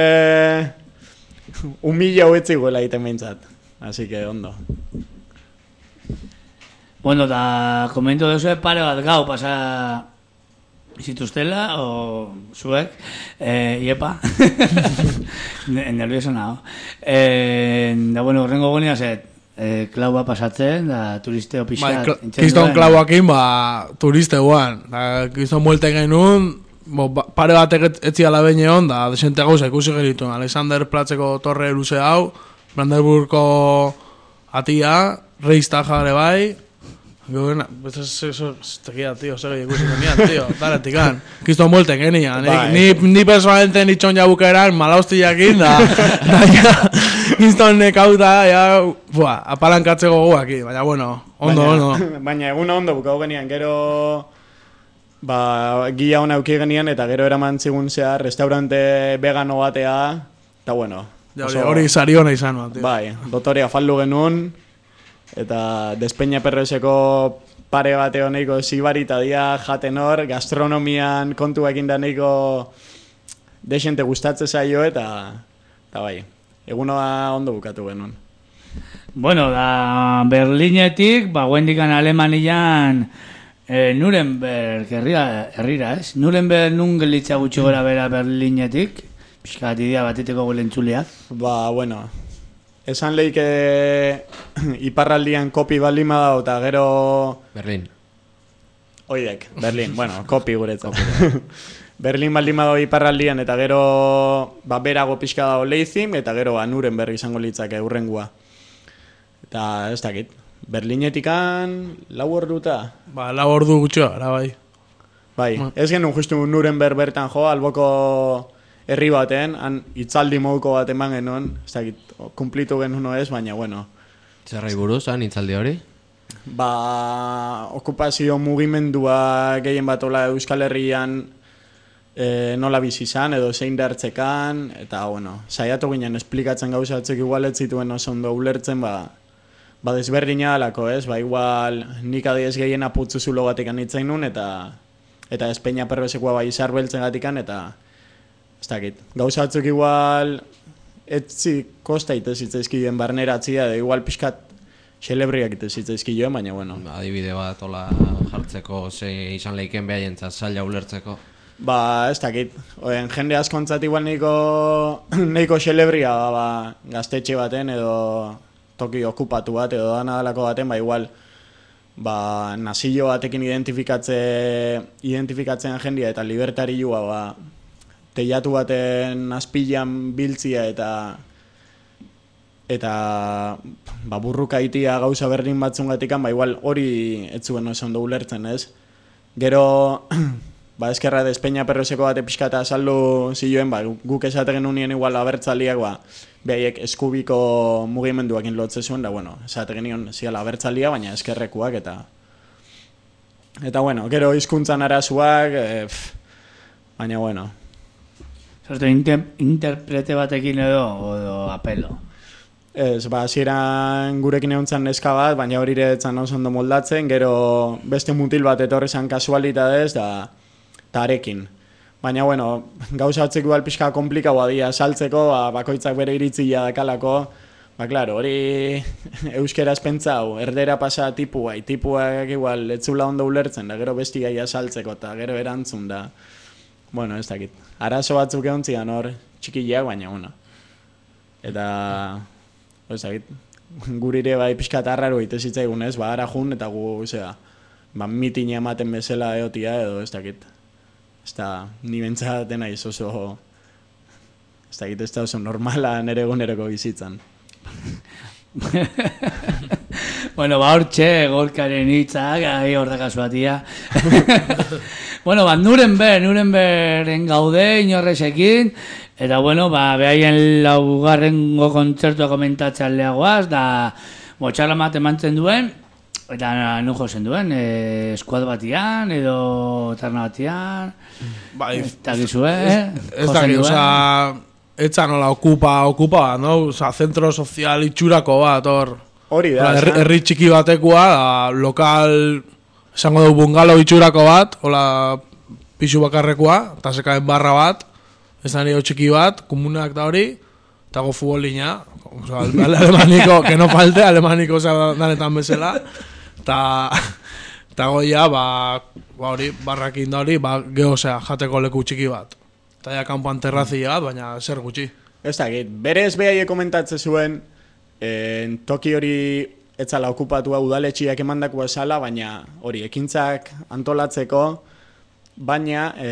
un mila huetzi guela egiten behintzat. Así que, ondo. Bueno, da, komento dezu pare bat gau pasa zituztela, o zuek, eh, iepa, nervioso nago. Eh, da, bueno, horrengo gonia zet, e, klaua pasatzen, da turisteo Bai, pixat. kl- kiston klauakin, ba, turisteuan. Da, kiston muelten genuen, bo, ba, pare batek etzi ala behin egon, da, desente gauza ikusi genituen. Alexander Platzeko torre luze hau, Brandenburgko atia, Reichstaga ere bai. Gauena, ez ez ez tegia, tío, segi ikusi genian, tío, daretikan. Kiston muelten genian. Bai. Ni, ni personalmente nitxon jabukeran, malaustiakin, da, da, ja, kiston nekauta, ja, bua, apalankatzeko guaki, baina, bueno, ondo, baina, ondo. Baina egun ondo bukau genian, gero ba, gila hona auki genian, eta gero eraman zigun zehar, restaurante vegano batea, eta bueno. Ja, hori, hori sariona izan, ba, tío. Bai, dotorea faldu genuen, eta Despeña Perroseko pare bate honeiko zibarita dia jaten hor, gastronomian kontuekin da neiko desente gustatze zaio, eta, eta bai, egunoa ondo bukatu genuen. Bueno, da Berlinetik, ba, guendikan Alemanian e, Nuremberg herrira, herrira, ez? Nuremberg nun gelitza gutxi gora bera Berlinetik, pixka bat idea bateteko gulentzuleak. Ba, bueno, esan leike iparraldian kopi baldin badao, eta gero... Berlin. Oidek, Berlin, bueno, kopi guretzat. Berlin baldin badao iparraldian, eta gero ba, berago pixka dago Leipzig, eta gero ba, Nuremberg izango litzake urrengua. Eta ez dakit, Berlinetikan lau orduta. Ba, lau ordu gutxo, ara bai. Bai, ez genuen justu Nuremberg bertan jo, alboko herri baten, han itzaldi moduko bat eman genuen, ez dakit, kumplitu genuen ez, baina bueno. Zerrai buruz, han itzaldi hori? Ba, okupazio mugimendua gehien bat ola Euskal Herrian e, nola bizi izan edo zein dartzekan, eta bueno, saiatu ginen esplikatzen gauza batzuk igual ez zituen oso ondo ulertzen, ba, ba desberdina alako, ez? Ba, igual nik adiez gehien aputzu zulo gatikan itzain nun, eta eta Despeña Perrosekoa bai izarbeltzen gatikan, eta ez dakit, gauza batzuk igual etzi kosta itezitzaizkioen barneratzia, edo igual pixkat xelebriak itezitzaizkioen, baina bueno. Adibide bat ola jartzeko, ze izan leiken behaientzat zaila ulertzeko. Ba, ez dakit, oen, jende askontzat igual neiko, neiko xelebria, ba, ba, gaztetxe baten edo toki okupatu bat edo dana dalako baten, ba, igual ba, nazio batekin identifikatze, identifikatzen jendia eta libertarioa, ba, teiatu baten azpilan biltzia eta eta ba, burruka itia gauza berdin batzungatikan, ba, igual hori ez zuen oso ondo ulertzen, ez? Gero, ba, eskerra Despeña Perroseko bate pixkata azaldu zioen, ba, guk esate genuen igual abertzaliak, ba, behaiek eskubiko mugimenduakin lotze zuen, da, bueno, esate genuen ziala abertzalia, baina eskerrekuak, eta eta, bueno, gero hizkuntzan arazuak, e, baina, bueno. Zorte, inter, interprete batekin edo, edo apelo. Ez, ba, hasieran gurekin egon zan neska bat, baina hori ere etzan oso ondo moldatzen, gero beste mutil bat etorri zan kasualitatez, da, da arekin. Baina, bueno, gauza batzeko igual pixka komplikaua dira saltzeko, ba, bakoitzak bere iritzia dakalako, ba, klaro, hori euskeraz pentsau, erdera pasa tipua, tipuak igual etzula ondo ulertzen, da gero besti gaia saltzeko, eta gero erantzun, da, bueno, ez dakit. Arazo batzuk egon zian hor, txikileak, baina, bueno. Eta, ez dakit, gurire bai pixkat arraro itezitzaigun ez, ba, ara jun, eta gu, zera, ba, mitine ematen bezala eotia edo, ez dakit. Ez da, ni bentsaten aiz oso, ez dakit, ez da oso normala nere eguneroko bizitzan. Bueno, ba, hortxe, golkaren hitzak, ahi hor da kasuatia. Bueno, ba, Nuremberg, Nurembergen gaude, inorrezekin, eta, bueno, ba, behaien laugarrengo kontzertua komentatzen lehagoaz, da, botxarra bat emantzen duen, eta nu jozen duen, e, eskuad batian, edo tarna batian, Bai, eta gizue, eh? ez da, oza, etza nola okupa, okupa, no? Oza, zentro sozial itxurako bat, hor. Hori da, Herri, herri txiki batekoa, da, lokal, esango dugu bungalo itxurako bat, hola, pisu bakarrekoa, eta sekaen barra bat, ez da nio txiki bat, komunak da hori, eta go futbolina, oza, alemaniko, que no falte, alemaniko, oza, danetan bezala, eta, eta goia, ba, ba hori, barrakin da hori, ba, geho, osea, jateko leku txiki bat. Eta ja kanpoan terrazia bat, baina zer gutxi. Ez dakit, berez behaie komentatzen zuen, e, toki hori etzala okupatua udaletxiak emandako esala, baina hori ekintzak antolatzeko, baina e,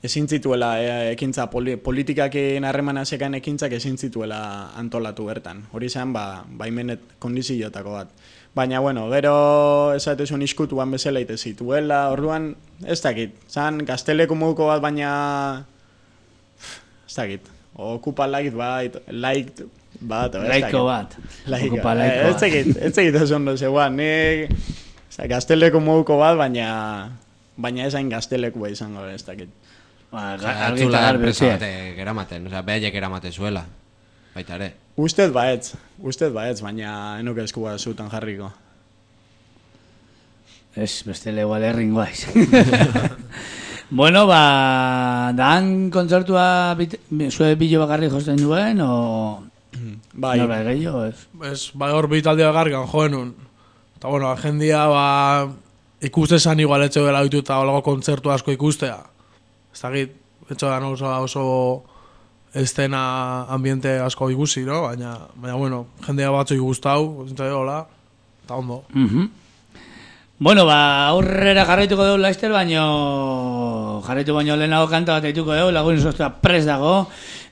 ezin zituela e, ekintza poli, politikakin harremana sekan ekintzak ezin zituela antolatu bertan. Hori zen, ba, baimenet kondiziotako bat. Baina, bueno, gero esatezun iskutuan bezala ite zituela, orduan, ez dakit, zan gazteleko moduko bat, baina, ez dakit, okupa laik bat, laik bat, laiko bat, laiko, okupa laiko ez dakit, ez dakit ez ondo zegoan, ni gazteleko moduko bat, baina, baina esain gaztelekua izango, ez dakit. Ba, Atzula enpresa batek eramaten, oza, behaiek eramate zuela, baita ere. Ustez baetz, ustez baetz, baina enuke eskua zutan jarriko. Ez, bestele igual erringoaiz. Bueno, ba, dan kontzertua zue bilo bakarri josten duen, o... Bai. Norbait gehiago, ez? Ez, bai hor bitaldea gargan joenun. Eta bueno, jendia, ba, ikuste zan igual etxeo dela ditu eta olago kontzertu asko ikustea. Ez dakit, etxeo da oso, oso estena ambiente asko ikusi, no? Baina, baina bueno, jendea batzu ikustau, zintzai hola, eta ondo. Uh-huh. Bueno, ba, aurrera jarraituko dugu laizter, baino jarraitu baino lehenago kanta bat eituko dugu, lagun izostua pres dago,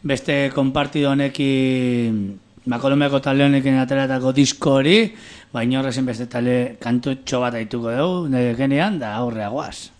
beste konpartido honekin, ba, Kolombiako talde honekin ateratako disko hori, baina horrezen beste talde kantutxo bat eituko dugu, nire genean, da aurrea guaz.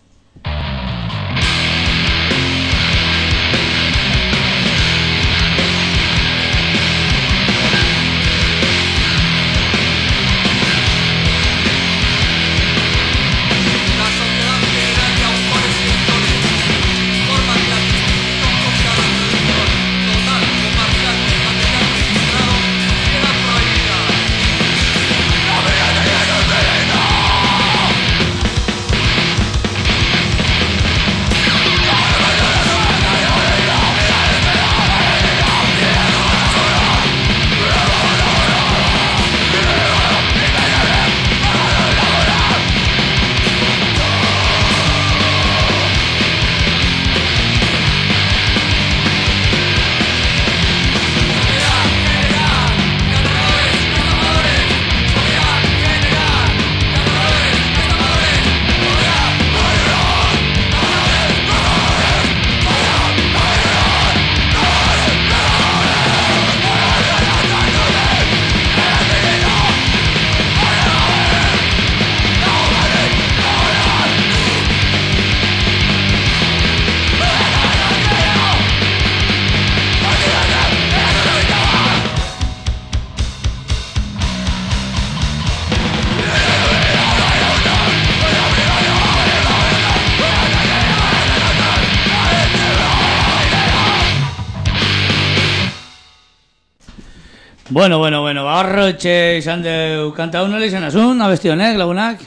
Bueno, bueno, bueno, barrotxe izan deu kanta hau nola izan azun, abesti honek, lagunak?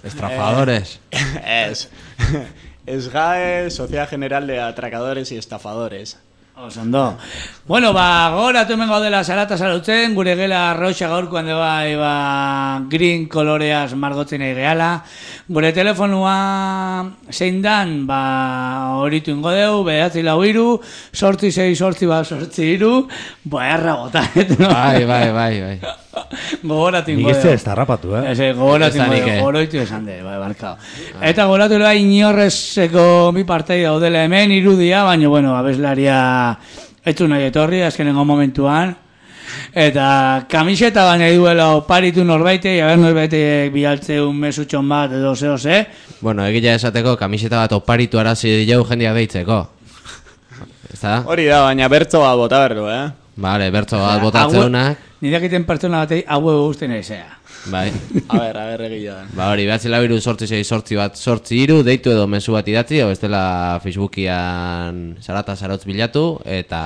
Estrafadores. Es. Es G A E, Sociedad General de Atracadores y Estafadores. Osondo. Bueno, ba, goratu hemen gaudela salata salautzen, gure gela roxa gaurkoan de bai, ba, green koloreaz margotzen nahi gehala. Gure telefonua zein dan, ba, horitu ingo deu, behatzi lau iru, sortzi zei, sortzi bat, sortzi iru, ba, erra botanet, no? Bai, bai, bai, bai. Gogoratu ingo Nik deu. ez ez tarrapatu, eh? Eze, gogoratu Ez da ingo nik, deu, eh? goroitu esan de, bai, barkao. Eta gogoratu da inorrezeko mi partei daudela hemen, irudia, baina, bueno, abeslaria etzu nahi etorri, azkenengo momentuan. Eta kamiseta baina duela oparitu norbaite, jaber norbaite bialtzeun mesutxon bat edo zeo ze. Bueno, egila esateko kamiseta bat oparitu arazi diau jendeak deitzeko. Ezta? Hori da, baina bertzo bat bota berdu, eh? Vale, bertzo bat botatzeunak. Nireak iten pertsona batei hau guztien aizea. Bai. A ber, a ber, egila da. Ba hori, behatzi lau iru sortzi zei sortzi bat sortzi iru, deitu edo mezu bat idatzi, o bestela Facebookian Sarata Sarotz bilatu, eta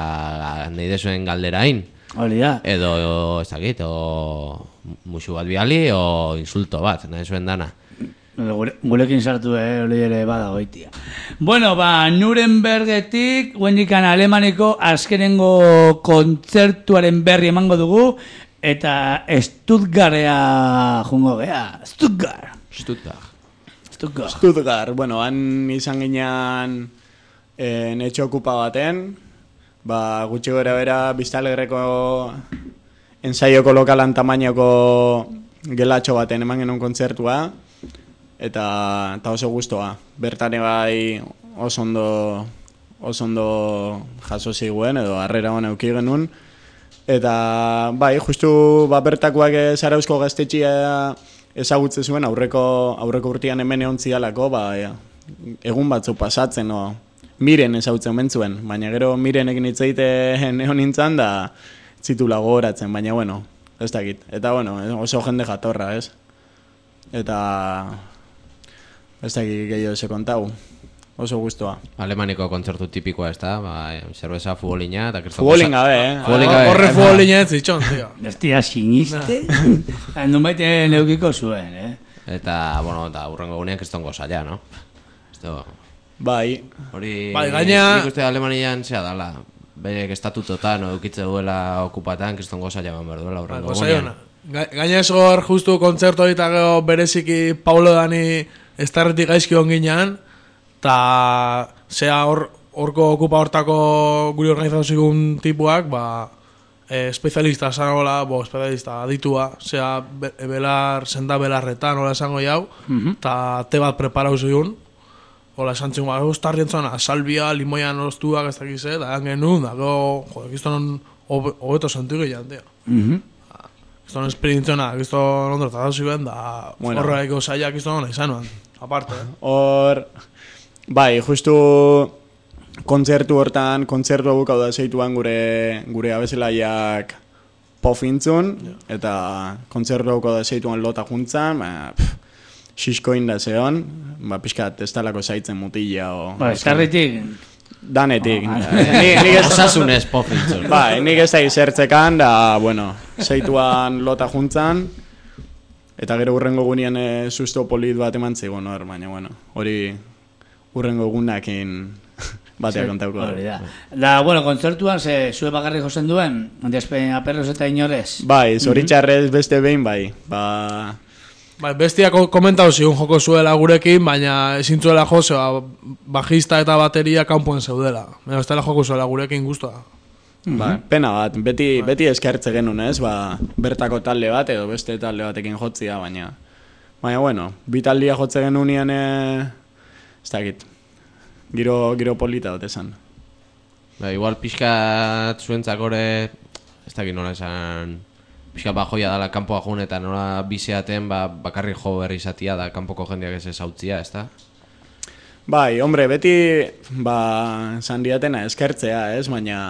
nahi desuen galderain. Hori da. Edo, ez dakit, o musu bat biali, o insulto bat, nahi zuen dana. Gure, gurekin sartu, eh, hori ere bada goitia. Bueno, ba, Nurembergetik, guendikan Alemaniko azkenengo kontzertuaren berri emango dugu, eta Stuttgartea jungo gea. Stuttgart. Stuttgart. Stuttgart. Stuttgart, bueno, han izan ginean eh, netxo okupa baten, ba, gutxi gora bera Biztalgerreko ensaioko lokalan tamainoko gelatxo baten eman genuen kontzertua, eta, eta oso gustoa. Bertane bai oso ondo, oso ondo jaso ziguen, edo harrera hona euki genuen, eta bai, justu ba, bertakoak Zarauzko gaztetxia ezagutze zuen aurreko, aurreko urtean hemen egon zialako, ba, egun batzu pasatzen, no, miren ezagutzen bentzuen, baina gero mirenekin hitz egiten egon nintzen da zitula gogoratzen, baina bueno, ez dakit. Eta bueno, oso jende jatorra, ez? Eta ez dakit gehiago ze kontau. Oso gustoa. Alemaniko kontzertu tipikoa, ez da? Ba, zerbeza futbolina eta kriston futbolin gabe, eh? Futbolin gabe. Horre futbolina ez zitxon, tío. Bestia siniste. Nun baite neukiko zuen, eh? Eta, bueno, eta urrengo gunean kriston gozaia, no? Esto... Bai. Hori... Bai, gaina... Nik uste Alemanian zea dala. Bere estatutotan, no, eukitze duela okupatan, kriston gozaia ban behar duela urrengo gunean. Gaina ez hor, justu kontzertu hori eta bereziki Paulo Dani estarretik gaizki onginan, eta zea hor, horko okupa hortako guri organizazioen tipuak, ba, e, espezialista zanagola, bo, espezialista aditua, zea be, belar, senda belarretan, hola esango jau, eta uh -huh. te bat preparau zigun, hola esan txun, ba, ostarrien zona, salbia, limoian oztuak, ez dakiz, eta egan genuen, da, go, jo, ekizton hobeto sentu gehiago, tio. Uh -huh. Ekizton esperientziona, ekizton ondo eta zuen, da, bueno. Horreko zaila ekizton hona izanuan, aparte, eh? Hor... Bai, justu kontzertu hortan, kontzertu abukau da zeituan gure, gure abezelaiak pofintzun, yeah. Eta kontzertu abukau da zeituan lota juntzan, ba, xiskoin da zeon, ba, pixkat ez talako zaitzen mutila. O, ba, eskarritik? Danetik. Oh, ni, osasunez pofintzun. Bai, nik ez da izertzekan, da, bueno, zeituan lota juntzan, eta gero urrengo gunean e, susto polit bat eman zigon hor, baina, bueno, hori... urrengo egunakin batea kontauko da. Da, bueno, kontzertuan ze zue bakarrik jozen duen, despein aperros eta inorez. Bai, zoritxarrez beste behin bai. Ba... Bai, bestia komentau zigun joko zuela gurekin, baina ezin zuela jose, ba, bajista eta bateria kanpoen zeudela. Baina ez dela joko zuela gurekin guztua. Ba, pena bat, beti, beti eskertze genuen, ez? Ba, bertako talde bat edo beste talde batekin jotzia, baina... Baina, bueno, bi taldia jotze genuen e... ez dakit, giro, giro polita dut esan. Ba, igual pixkat zuentzakore, ez dakit nola esan, pixkat ba joia dala kanpoa jun eta nola bizeaten ba, bakarri jo berri izatia da kanpoko jendeak ez ezautzia, ez da? Bai, hombre, beti ba, esan diatena eskertzea, ez, baina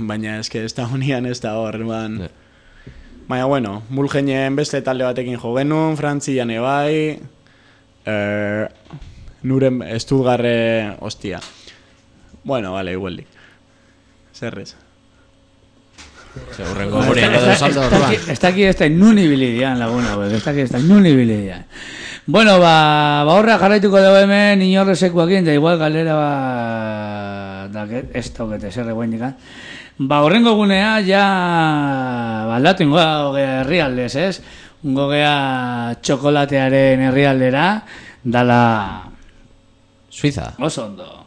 baina eske ez da honian ez da hor, ban. Ne. Baina, bueno, mulgenien beste talde batekin jo genuen, Frantzian ebai, er, Nuren Estudgarre hostia. Bueno, vale, igual di. Zerrez. Segurrengo gurean edo saldo orduan. Está aquí, está en nunibilidian laguna, pues. Está aquí, está en nunibilidian. Bueno, ba, ba horra jarraituko dugu hemen inorrezekuakin, da igual galera ba... Da, ez tokete zerre guain dikan. Ba, horrengo gunea, ja... Baldatu ingoa gogea herrialdez, ez? Gogea txokolatearen herrialdera, dala... Suiza. Oso ondo.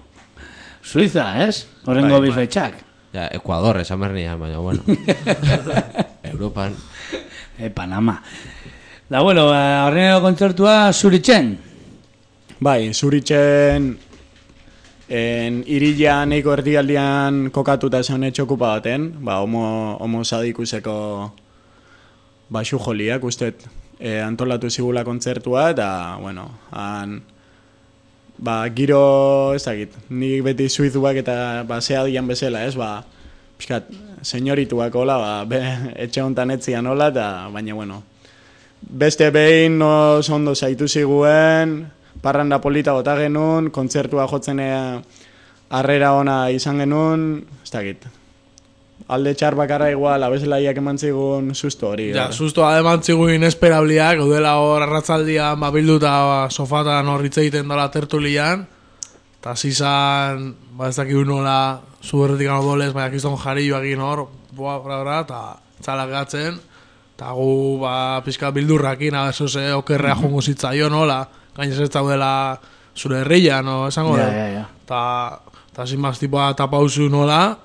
Suiza, ez? Horrengo bai, bifetxak. Ja, Ecuador, esan bernian, baina, bueno. Europan. E, Panama. Da, bueno, horrengo kontzertua Zuritzen. Bai, Zuritzen en irila neiko erdialdian kokatuta esan etxokupa baten, ba, homo, homo sadikuseko basu joliak, ustet, e, antolatu zigula kontzertua, eta, bueno, han... Ba, giro, ez dakit, nik beti suizuak eta ba, zea dian bezala, ez, ba, pixkat, senyorituak hola, ba, be, etxe honetan etzian hola, eta, baina, bueno, beste behin oso ondo zaitu ziguen, parranda polita gota genuen, kontzertua jotzen harrera ona izan genuen, ez dakit, alde txar bakarra igual, abezelaiak eman zigun susto hori. Ja, susto eman zigun inesperabliak, gaudela hor arratzaldian, ba, bilduta ba, sofatan horritze egiten dela tertulian, eta zizan, ba, ez dakik nola, zuberretik gano dolez, baina kiston jarioak egin hor, boa, bra, bra, eta txalak gatzen, eta gu, ba, pixka bildurrakin, abezo ze, okerrea jongo zitzaio nola, gainez ez daudela zure herria, no, esango da. Ja, ja, ja. Eta, eta zin maz, tipoa tapauzu nola,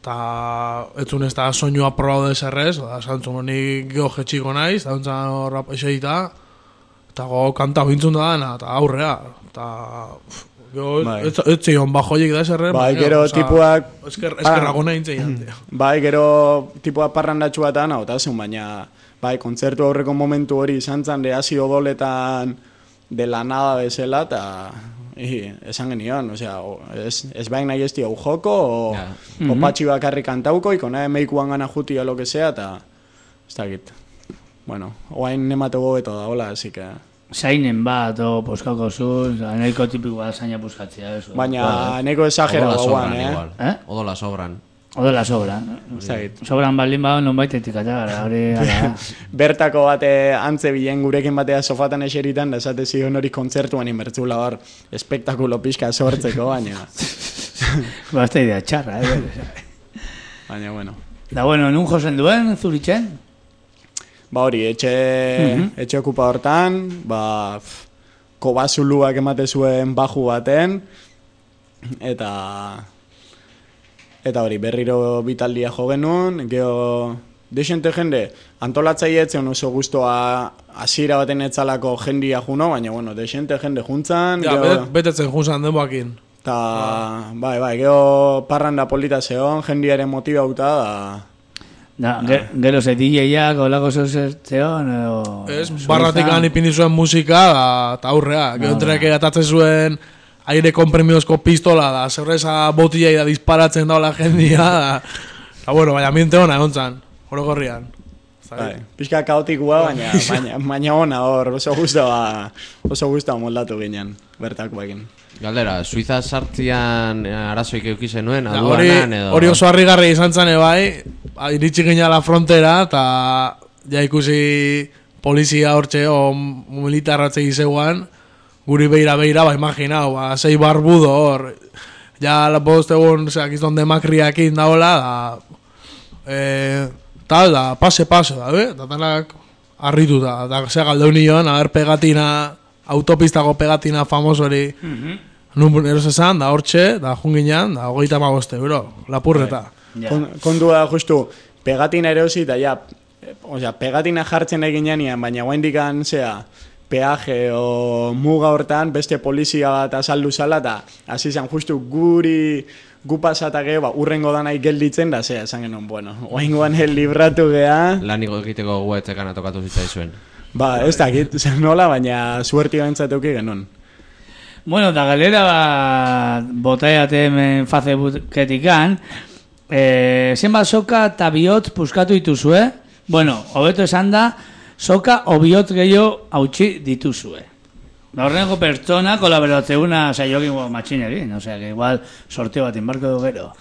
eta etzun ez da soinua probau deserrez, da zantzun honi geho jetxiko naiz, da ontzan horra eseita, eta go kanta bintzun da dana, eta aurrea, eta geho ez zion bajoiek da eserre. Bai, gero tipuak... Eskerrago nahi intzeian. Bai, gero tipuak parrandatxu bat ana, eta zen, baina bai, kontzertu aurreko momentu hori izan zan, hasi odoletan de la nada bezala, eta esan genion, osea, ez, ez bain nahi ez diau joko, o, yeah. mm -hmm. o patxi bakarri kantauko, ikona emeikuan gana juti o lo que sea, eta ez dakit. Bueno, oain nemate gobeto da, hola, así que... Zainen bat, o poskauko zuz, nahiko tipikoa zaina puskatzea. Eso, baina nahiko exagera guan, eh? eh? Odola sobran. Odola sobran. Sobran baldin bau, non baitetik atagara, hori gara. Bertako bate antze bilen gurekin batea sofatan eseritan, da esate zion hori kontzertuan inbertzula hor, espektakulo pixka sortzeko, baina... Basta idea txarra, eh? Baina, bueno. Da, bueno, nun josen duen, Zuritzen? Ba hori, etxe, mm-hmm. etxe okupa hortan, ba, kobazuluak emate zuen baju baten, eta... Eta hori, berriro bitaldia jo genuen, geho... Deixente jende, antolatzaile etzen oso guztua hasiera baten etzalako jendia juno, baina, bueno, deixente jende juntzan... Ja, geho... betetzen juntzan denboakin. Ta, ah. bai, bai, geho parranda polita zeon, jendiaren motibauta, da... Da, ah. gero ze D J-ak, olako zeon, edo... Ez, barratik lan ipini zuen musika, eta aurrea, geho entreak atatzen zuen... aire komprimiozko pistola da, zerreza botillai da disparatzen daula jendia, da, da bueno, baina ambiente hona egon zan, horo gorrian. Bai, pixka kaotikua, baina, baina, baina ona hor, oso guztua, oso guztua moldatu ginen, bertako egin. Galdera, Suiza sartzian arazoik eukizen nuen, aduanan edo... Hori oso harrigarri izan zen bai, iritsi gina la frontera, eta ja ikusi polizia hortxe, o militarratze gizeguan, guri beira-beira, ba, imaginau, ba, sei barbudo hor, ja, la post egun, ozera, gizton demakriakin daola, da, e, tal, da, pase-pase, da, be, da, tanak, arritu da, da, zera galdeu nion, a ber, pegatina, autopistako pegatina famosori, mm-hmm. nun eros esan, da, hortxe, da, junginan, da, hogeita magoste, bro, lapurreta. Yeah. Kondua, justu, pegatina erosi, da, ja, osea, pegatina jartzen egin janean, baina guaindikan, zea, peaje o muga hortan beste polizia bat azaldu zala eta hasi zen justu guri gu pasatake ba, urrengo danai gelditzen da zea esan genuen, bueno, oaingoan libratu geha laniko egiteko guetzekan atokatu zitzaizuen ba, ez dakit, nola, baina suerti gantzatuki genuen. Bueno, da galera bat botaiate hemen Facebooketikan eh, zenbat soka eta bihotz puskatu dituzue, bueno, hobeto esan da soka obiot gehiago hautsi dituzue. Da horrengo pertsona kolaboratzeuna saiokin matxinerin, o sea, que igual sorteo bat inbarko du gero.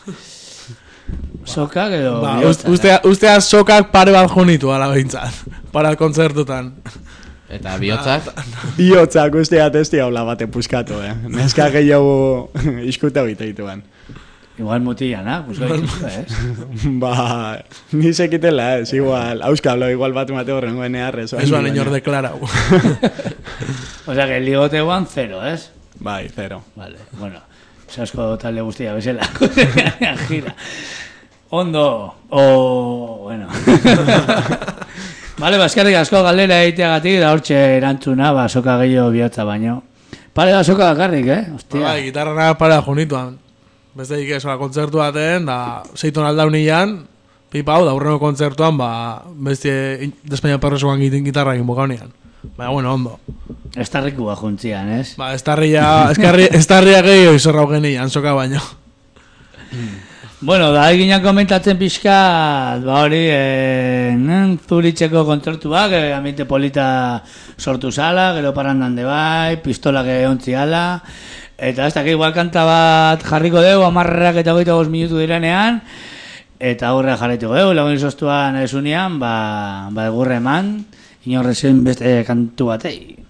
Soka gero ba, ustea, ustea sokak pare bat junitu ala behintzat, para kontzertutan. Eta bihotzak? Bihotzak ustea testi haula bate puskatu, eh? Neska gehiago iskuta bita dituan. Igual mutillana, pues que es. Ba, ni sekitela, es igual. Auskalo, igual bat mate horrengo enearrez. Ez ba, niñor deklarau. O sea, que el ligote guan cero, ¿es? Bai, cero. Vale, bueno. Sasko talde guztia bezala. Gira. Ondo, o... bueno. Vale, baskarrik asko galdera egiteagatik, da hortxe erantzuna, ba, soka gehiago bihotza baino. Pare da soka bakarrik, eh? Hostia. Bai, gitarra naga pare da junituan. Beste ikesoa kontzertu baten, da zeiton aldaunian, pipau, da urreno kontzertuan, ba, beste despeina perrosuan gitarra egin bukaunian. Baina, bueno, ondo. Estarrikua juntzian, ez? Ba, estarria, estarria gehiago izorra genian, soka baino. Bueno, da eginak komentatzen pixka, ba hori, e, Zuritzeko kontzertuak, e, ambiente polita sortu zala, gero parandan de bai, pistola que ontzi ala, eta ez da, que igual kanta bat jarriko dugu, amarrak eta goita goz minutu direnean, eta aurre jarrituko dugu, lagun izoztuan esunean, ba, ba egurre eman, inorrezen beste kantu batei.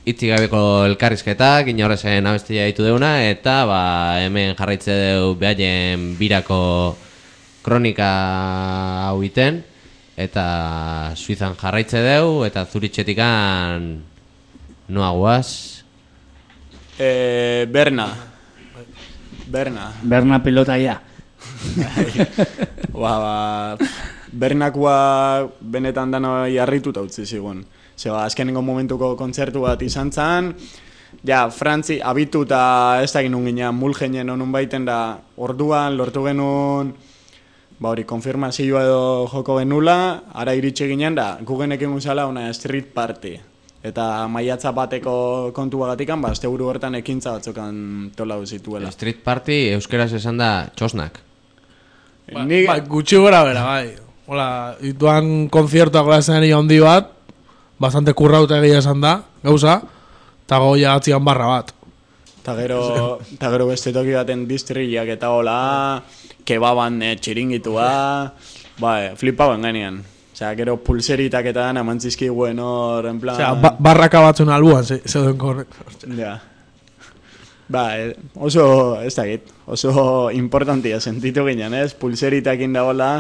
Itzik gabeko elkarrizketak, inorrezen abestia ditu deuna, eta ba, hemen jarraitze deu behaien birako kronika hau iten, eta Suizan jarraitze deu, eta Zuritxetikan noa guaz? E, Berna. Berna. Berna pilotaia. ba, ba, Bernakua benetan dano jarrituta utzi zigun. Zeba, azkenengo momentuko kontzertu bat izan zen, ja, Frantzi abitu eta ez da ginun ginen mulgenien honun baiten da orduan lortu genuen, ba hori, konfirmazioa edo joko genula, ara iritsi ginen da, gugenek egun zala una street party. Eta maiatza bateko kontu bagatikan, ba, azte buru hortan ekintza batzukan tolau zituela. Street party euskeraz esan da txosnak. Ba, Ni... ba, gutxi gora bera, bai. Hola, ituan konziertuak glazen handi bat, bastante kurrauta egia esan da, gauza, eta goia atzian barra bat. Eta gero, ta gero beste toki baten distriak eta hola, kebaban eh, txiringitua, ba, eh, flipauen genian. Osea, gero pulseritak eta dana mantzizki guen hor, en plan... Osea, ba, barraka batzun albuan, zeuden korrek. Ja. Ba, eh, oso, ez dakit, oso importantia sentitu ginen, ez? Pulseritakin dagoela,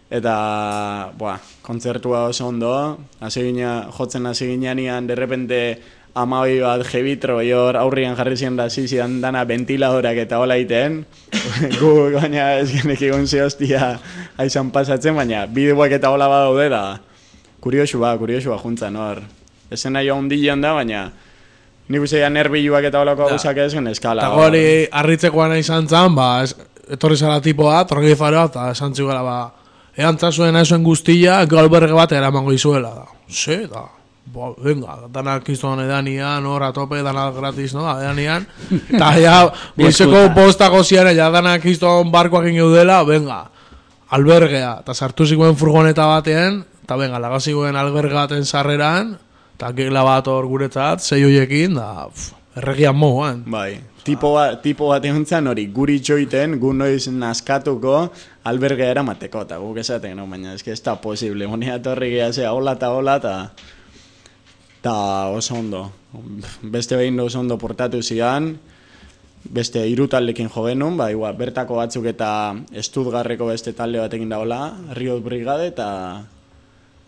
eta, boa, kontzertua oso ondo, hasi gina, jotzen hasi ginean, derrepente amabi bat jebitro hor aurrian jarri zian da zizian dana ventiladorak eta hola iten, gu baina ez genek egon ze hostia aizan pasatzen, baina bideoak eta hola badaude da, kuriosua, kuriosua juntzan hor. Esena jo hundilean da, baina nik ustean nerbiluak eta holako gauzak ez gen eskala. Eta gori harritzekoan izan zan, ba, es, etorri zara tipoa, torgi faroa, eta esan zigala, ba, eantza zuen aizuen guztia, galberge bat eramango izuela, da. Ze, da, ba, venga, danak izan edanian, hor, atope, danak gratis, no, edanian, eta ja, goizeko postako ziren, ja, danak izan barkoak ingeudela, venga, albergea, eta sartu zikoen furgoneta batean, eta venga, lagazikoen alberge baten sarreran, eta kegla bat hor guretzat, zei hoiekin, da, pff, erregian moguan. Bai, tipo, ba, tipo bat egon zan hori, guri txoiten, gu noiz naskatuko, albergea eramateko, eta guk esaten, no, baina ez que ez da posible, monia torri gehazea, hola eta hola, eta eta oso ondo. Beste behin oso ondo portatu zian, beste hiru taldekin jo genuen, ba, igual, bertako batzuk eta Estudgarreko beste talde batekin daola, Riot Brigade eta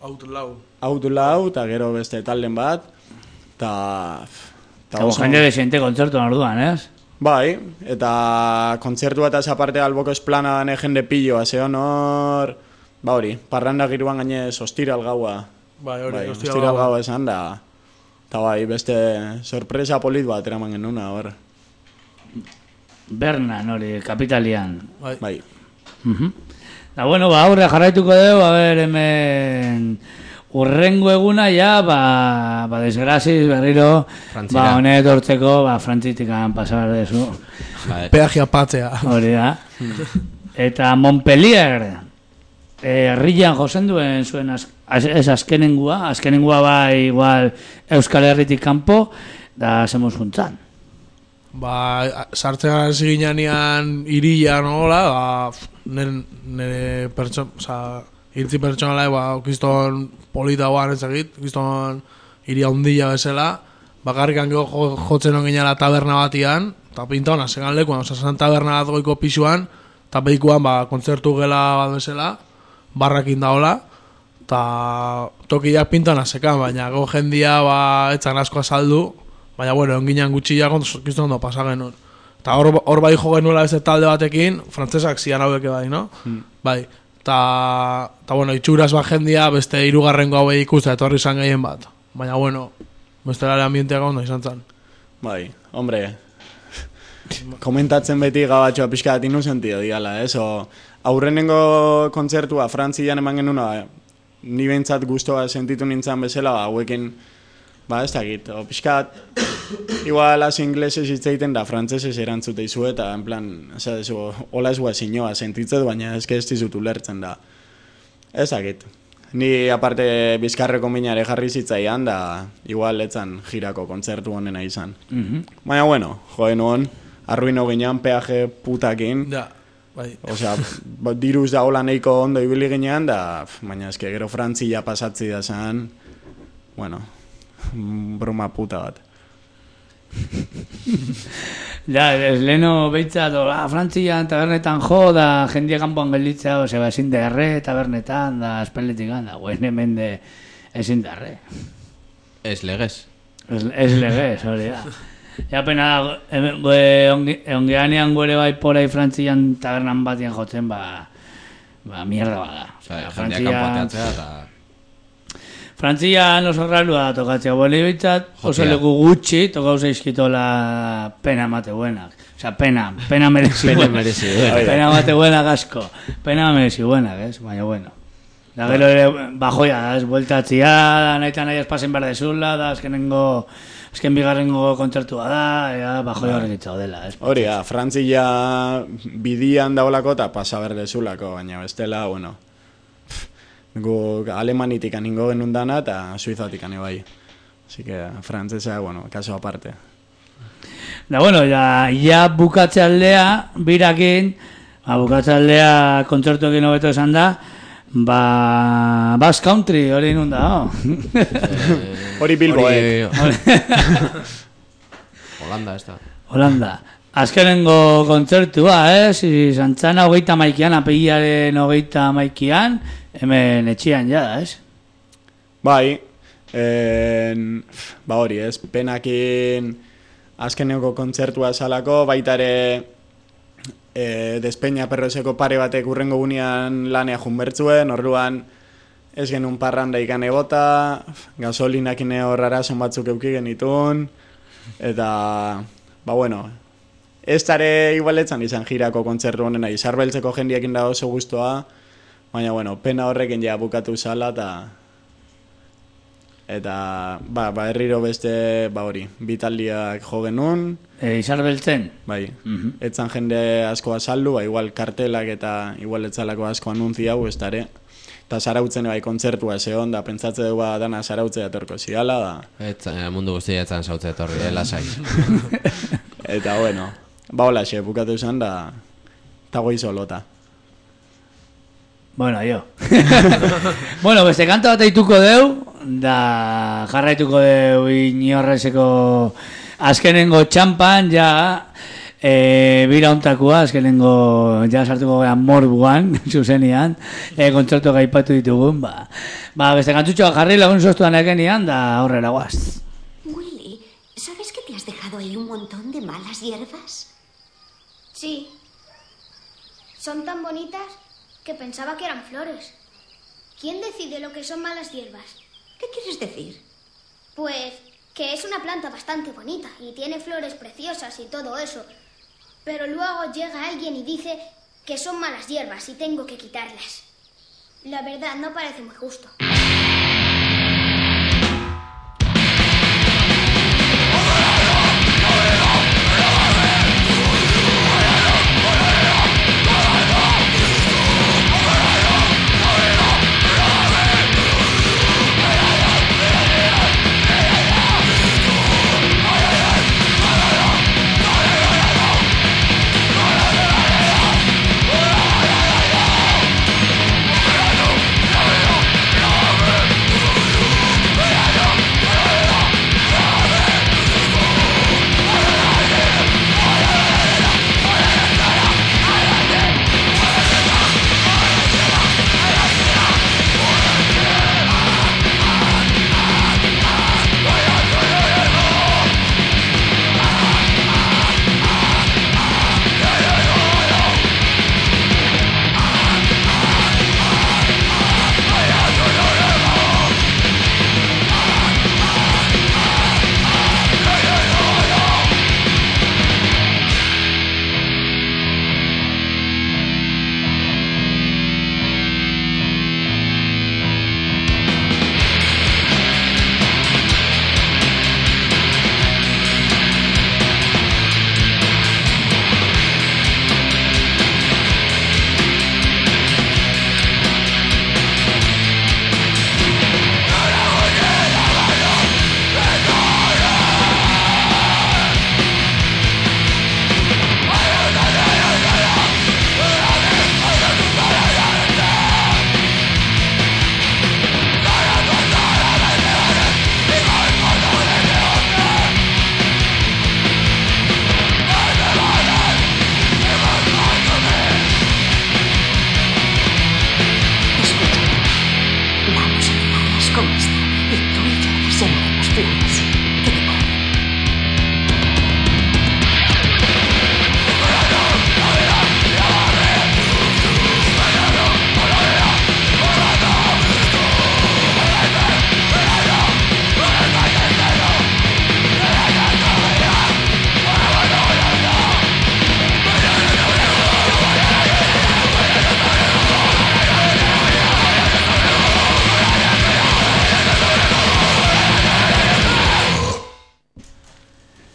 Outlaw. Outlaw, eta gero beste talden bat, eta... Eta jende desente kontzertuan orduan, ez? Bai, eta kontzertu eta aparte alboko esplana dane jende pilloa, ze honor, ba hori, parranda giruan gainez ostiral gaua. Bai, hori, bai, ostiral ostiral gaua gaua esan da. Eta bai, beste sorpresa polit bat eraman genuna, hor. Bernan, hori, kapitalian. Bai. Bai. Mhm. Da, bueno, ba, aurre jarraituko dugu, a ber, hemen... Urrengo eguna, ja, ba, ba desgraziz, berriro, Frantzira. ba, honet hortzeko, ba, frantzitikan pasar dezu. Peagia patzea. Hori da. Eta Montpellier, herrian josen duen zuen, az, az, ez azkenengua, azkenengua bai, igual, Euskal Herritik kanpo, da, zemuz juntzan. Ba, sartzen hasi ginean iria nola, ba, nire, nire pertson, oza, irtzi pertsonala, ba, okizton polita guan ez egit, okizton iria hundila bezala, bakarrikan jo, jotzen on ginean taberna batian, eta pinta hona, segan lekuan, oza, zan taberna bat goiko pisuan, eta behikoan, ba, kontzertu gela bat bezala, barrakin daola, eta tokiak pinta hona sekan, baina go jendia, ba, etzan asko azaldu, baina, bueno, onginean gutxia kontzertu ondo pasagen nun. Eta hor, hor bai jo genuela ez talde batekin, frantzesak zian haueke bai, no? Hmm. Bai, eta, eta, bueno, itxuraz bat jendia beste hirugarrengo hau ikusta etorri izan gehien bat. Baina, bueno, beste lare ambienteak ondo izan zen. Bai, hombre, komentatzen beti gabatxoa pixka bat inusentio digala, ez? O, aurrenengo kontzertua Frantzian eman genuna, ni behintzat guztua sentitu nintzen bezala, ba, hauekin, ba, ez dakit, o, pixkat, igual az inglesez hitz egiten da, frantzesez erantzute izu, eta, en plan, eza, dezu, hola ez gua sinoa sentitzet, baina ez que ez dizut ulertzen da. Ez dakit. Ni, aparte, bizkarreko minare jarri zitzaian, da, igual etzan girako kontzertu honena izan. Mm-hmm. Baina, bueno, joen hon, arruino ginean, peaje putakin, Ja, bai. osea, diruz da hola nahiko ondo ibili ginean, da, baina eske gero Frantzia pasatzi da zan, bueno, broma puta bat. Ja, ez leheno behitzat, ah, Frantzian tabernetan jo, da jendia kanpoan gelditzea, ose, ba, ezin derre tabernetan, da espeletikan, da, guen hemen de ezin derre. Ez legez. Ez, ez legez, hori da. Ja, pena, ongeanean gore bai porai Frantzian tabernan batien jotzen, ba, ba, mierda bada. Osa, jendia kanpoateatzea eta... Frantzian oso rarua da tokatzea, boli bitzat, oso leku gutxi, tokau zeizkitola pena emate buenak. Osa, pena, pena merezi buenak. merezi buenak. Pena emate buenak asko. Pena merezi buenak, ez? Baina, bueno. Da gero ere, bajoia, da, ez, bueltatzia, da, nahi eta nahi espasen behar dezula, da, azkenengo, azken bigarrengo kontzertua da, ea, bajoia horrek itxau dela, ez? Hori, ja, Frantzia bidian daulako eta pasa behar dezulako, baina bestela, bueno... Gu alemanitik aningo genuen dana eta suizatik ane bai. Así que frantzesa, bueno, kaso aparte. Da, bueno, ya, ya bukatze aldea, birakin, ba, bukatze aldea kontzertuekin hobeto esan da, ba, Basque Country, hori nun da, oh. Hori Bilbo, eh? Holanda, ez da. Holanda. Azkenengo kontzertua, ez? Zantzana hogeita maikian, apegilaren hogeita maikian, hemen etxian jada, ez? Bai, en, ba hori, ez? Penakin azkenengo kontzertua salako, baita ere e, Despeña Perroseko pare batek urrengo gunean lanea junbertzuen, orduan ez genuen parranda ikan egota, gasolinakin horrara son batzuk euki genitun, eta, ba bueno, ez tare igualetzan izan jirako kontzertu honena, izarbeltzeko jendiekin da oso guztua, baina, bueno, pena horrekin ja bukatu zala, eta, eta, ba, ba, herriro beste, ba hori, bitaldiak jo genuen. E, izarbeltzen? Bai, mm-hmm. Etzan jende asko azaldu, ba, igual kartelak eta igual etzalako asko anuntzi hau, ez tare. Eta zarautzen bai kontzertua zeon, da pentsatze du ba dana zarautzea etorko ziala, da. Etza, mundu guztia etzan zautze etorri, eh, lasai. Eta, bueno, ba hola xe, bukatu zen, da, eta goizo lota. Bueno, jo. Bueno, beste kanta bat eituko deu, da jarraituko deu inorrezeko azkenengo txampan, ja, e, bira ontakua, azkenengo, ja sartuko gara morbuan, zuzenian, e, kontzertu gaipatu ditugun, ba. Ba, beste kantutxoa jarri lagun soztuan ekenian, da horrela guaz. Willy, ¿sabes que te has dejado ahí un montón de malas hierbas? Sí. Son tan bonitas que pensaba que eran flores. ¿Quién decide lo que son malas hierbas? ¿Qué quieres decir? Pues que es una planta bastante bonita y tiene flores preciosas y todo eso. Pero luego llega alguien y dice que son malas hierbas y tengo que quitarlas. La verdad, no parece muy justo. No!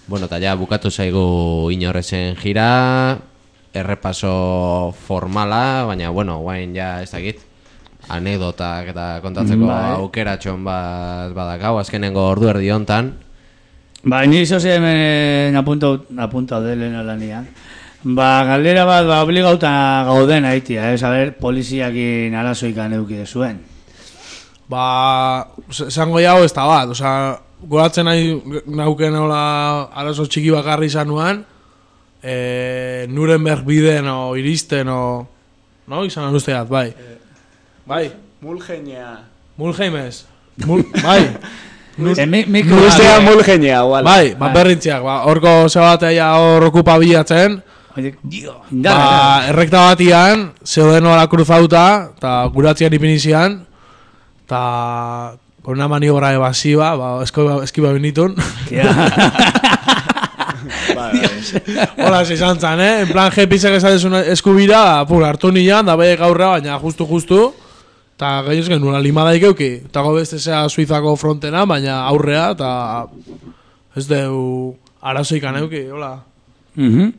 Bueno, eta ja bukatu zaigu inorrezen gira, errepaso formala, baina, bueno, guain ja ez dakit, anekdotak eta kontatzeko Bai. aukeratxon bat badakau, azkenengo ordu erdi hontan. Ba, ni zoze hemen apuntau, apuntau delen alanian. Ba, galdera bat, ba, obligauta gauden haitia, ez, a ber, poliziakin arazoikan euki zuen. Ba, esango jau ez da bat, oza, goratzen nahi nauken hola arazo txiki bakarri izanuan, e, Nuremberg biden o iristen o, no, izan usteat, bai. Bai, Mulgenea. Mulheimez, Mul, bai. E, mi, mikro, Nustea mulgenea, igual. Bai, ba, berrintziak, ba, horko zebatea hor okupa bilatzen, ba, errekta batian, zeuden hola cruzauta, eta guratzean ipinizian, eta con una maniobra evasiva, ba, eskiba, eskiba benitun. Hola, se izan zan, eh? En plan, jepisek esatezun eskubira, pur, hartu nian, da bai gaurra, baina justu-justu, eta gainez genuen limada ikeuki. Eta beste zea Suizako frontena, baina aurrea, eta ez deu arazoik aneuki, hola. Mhm.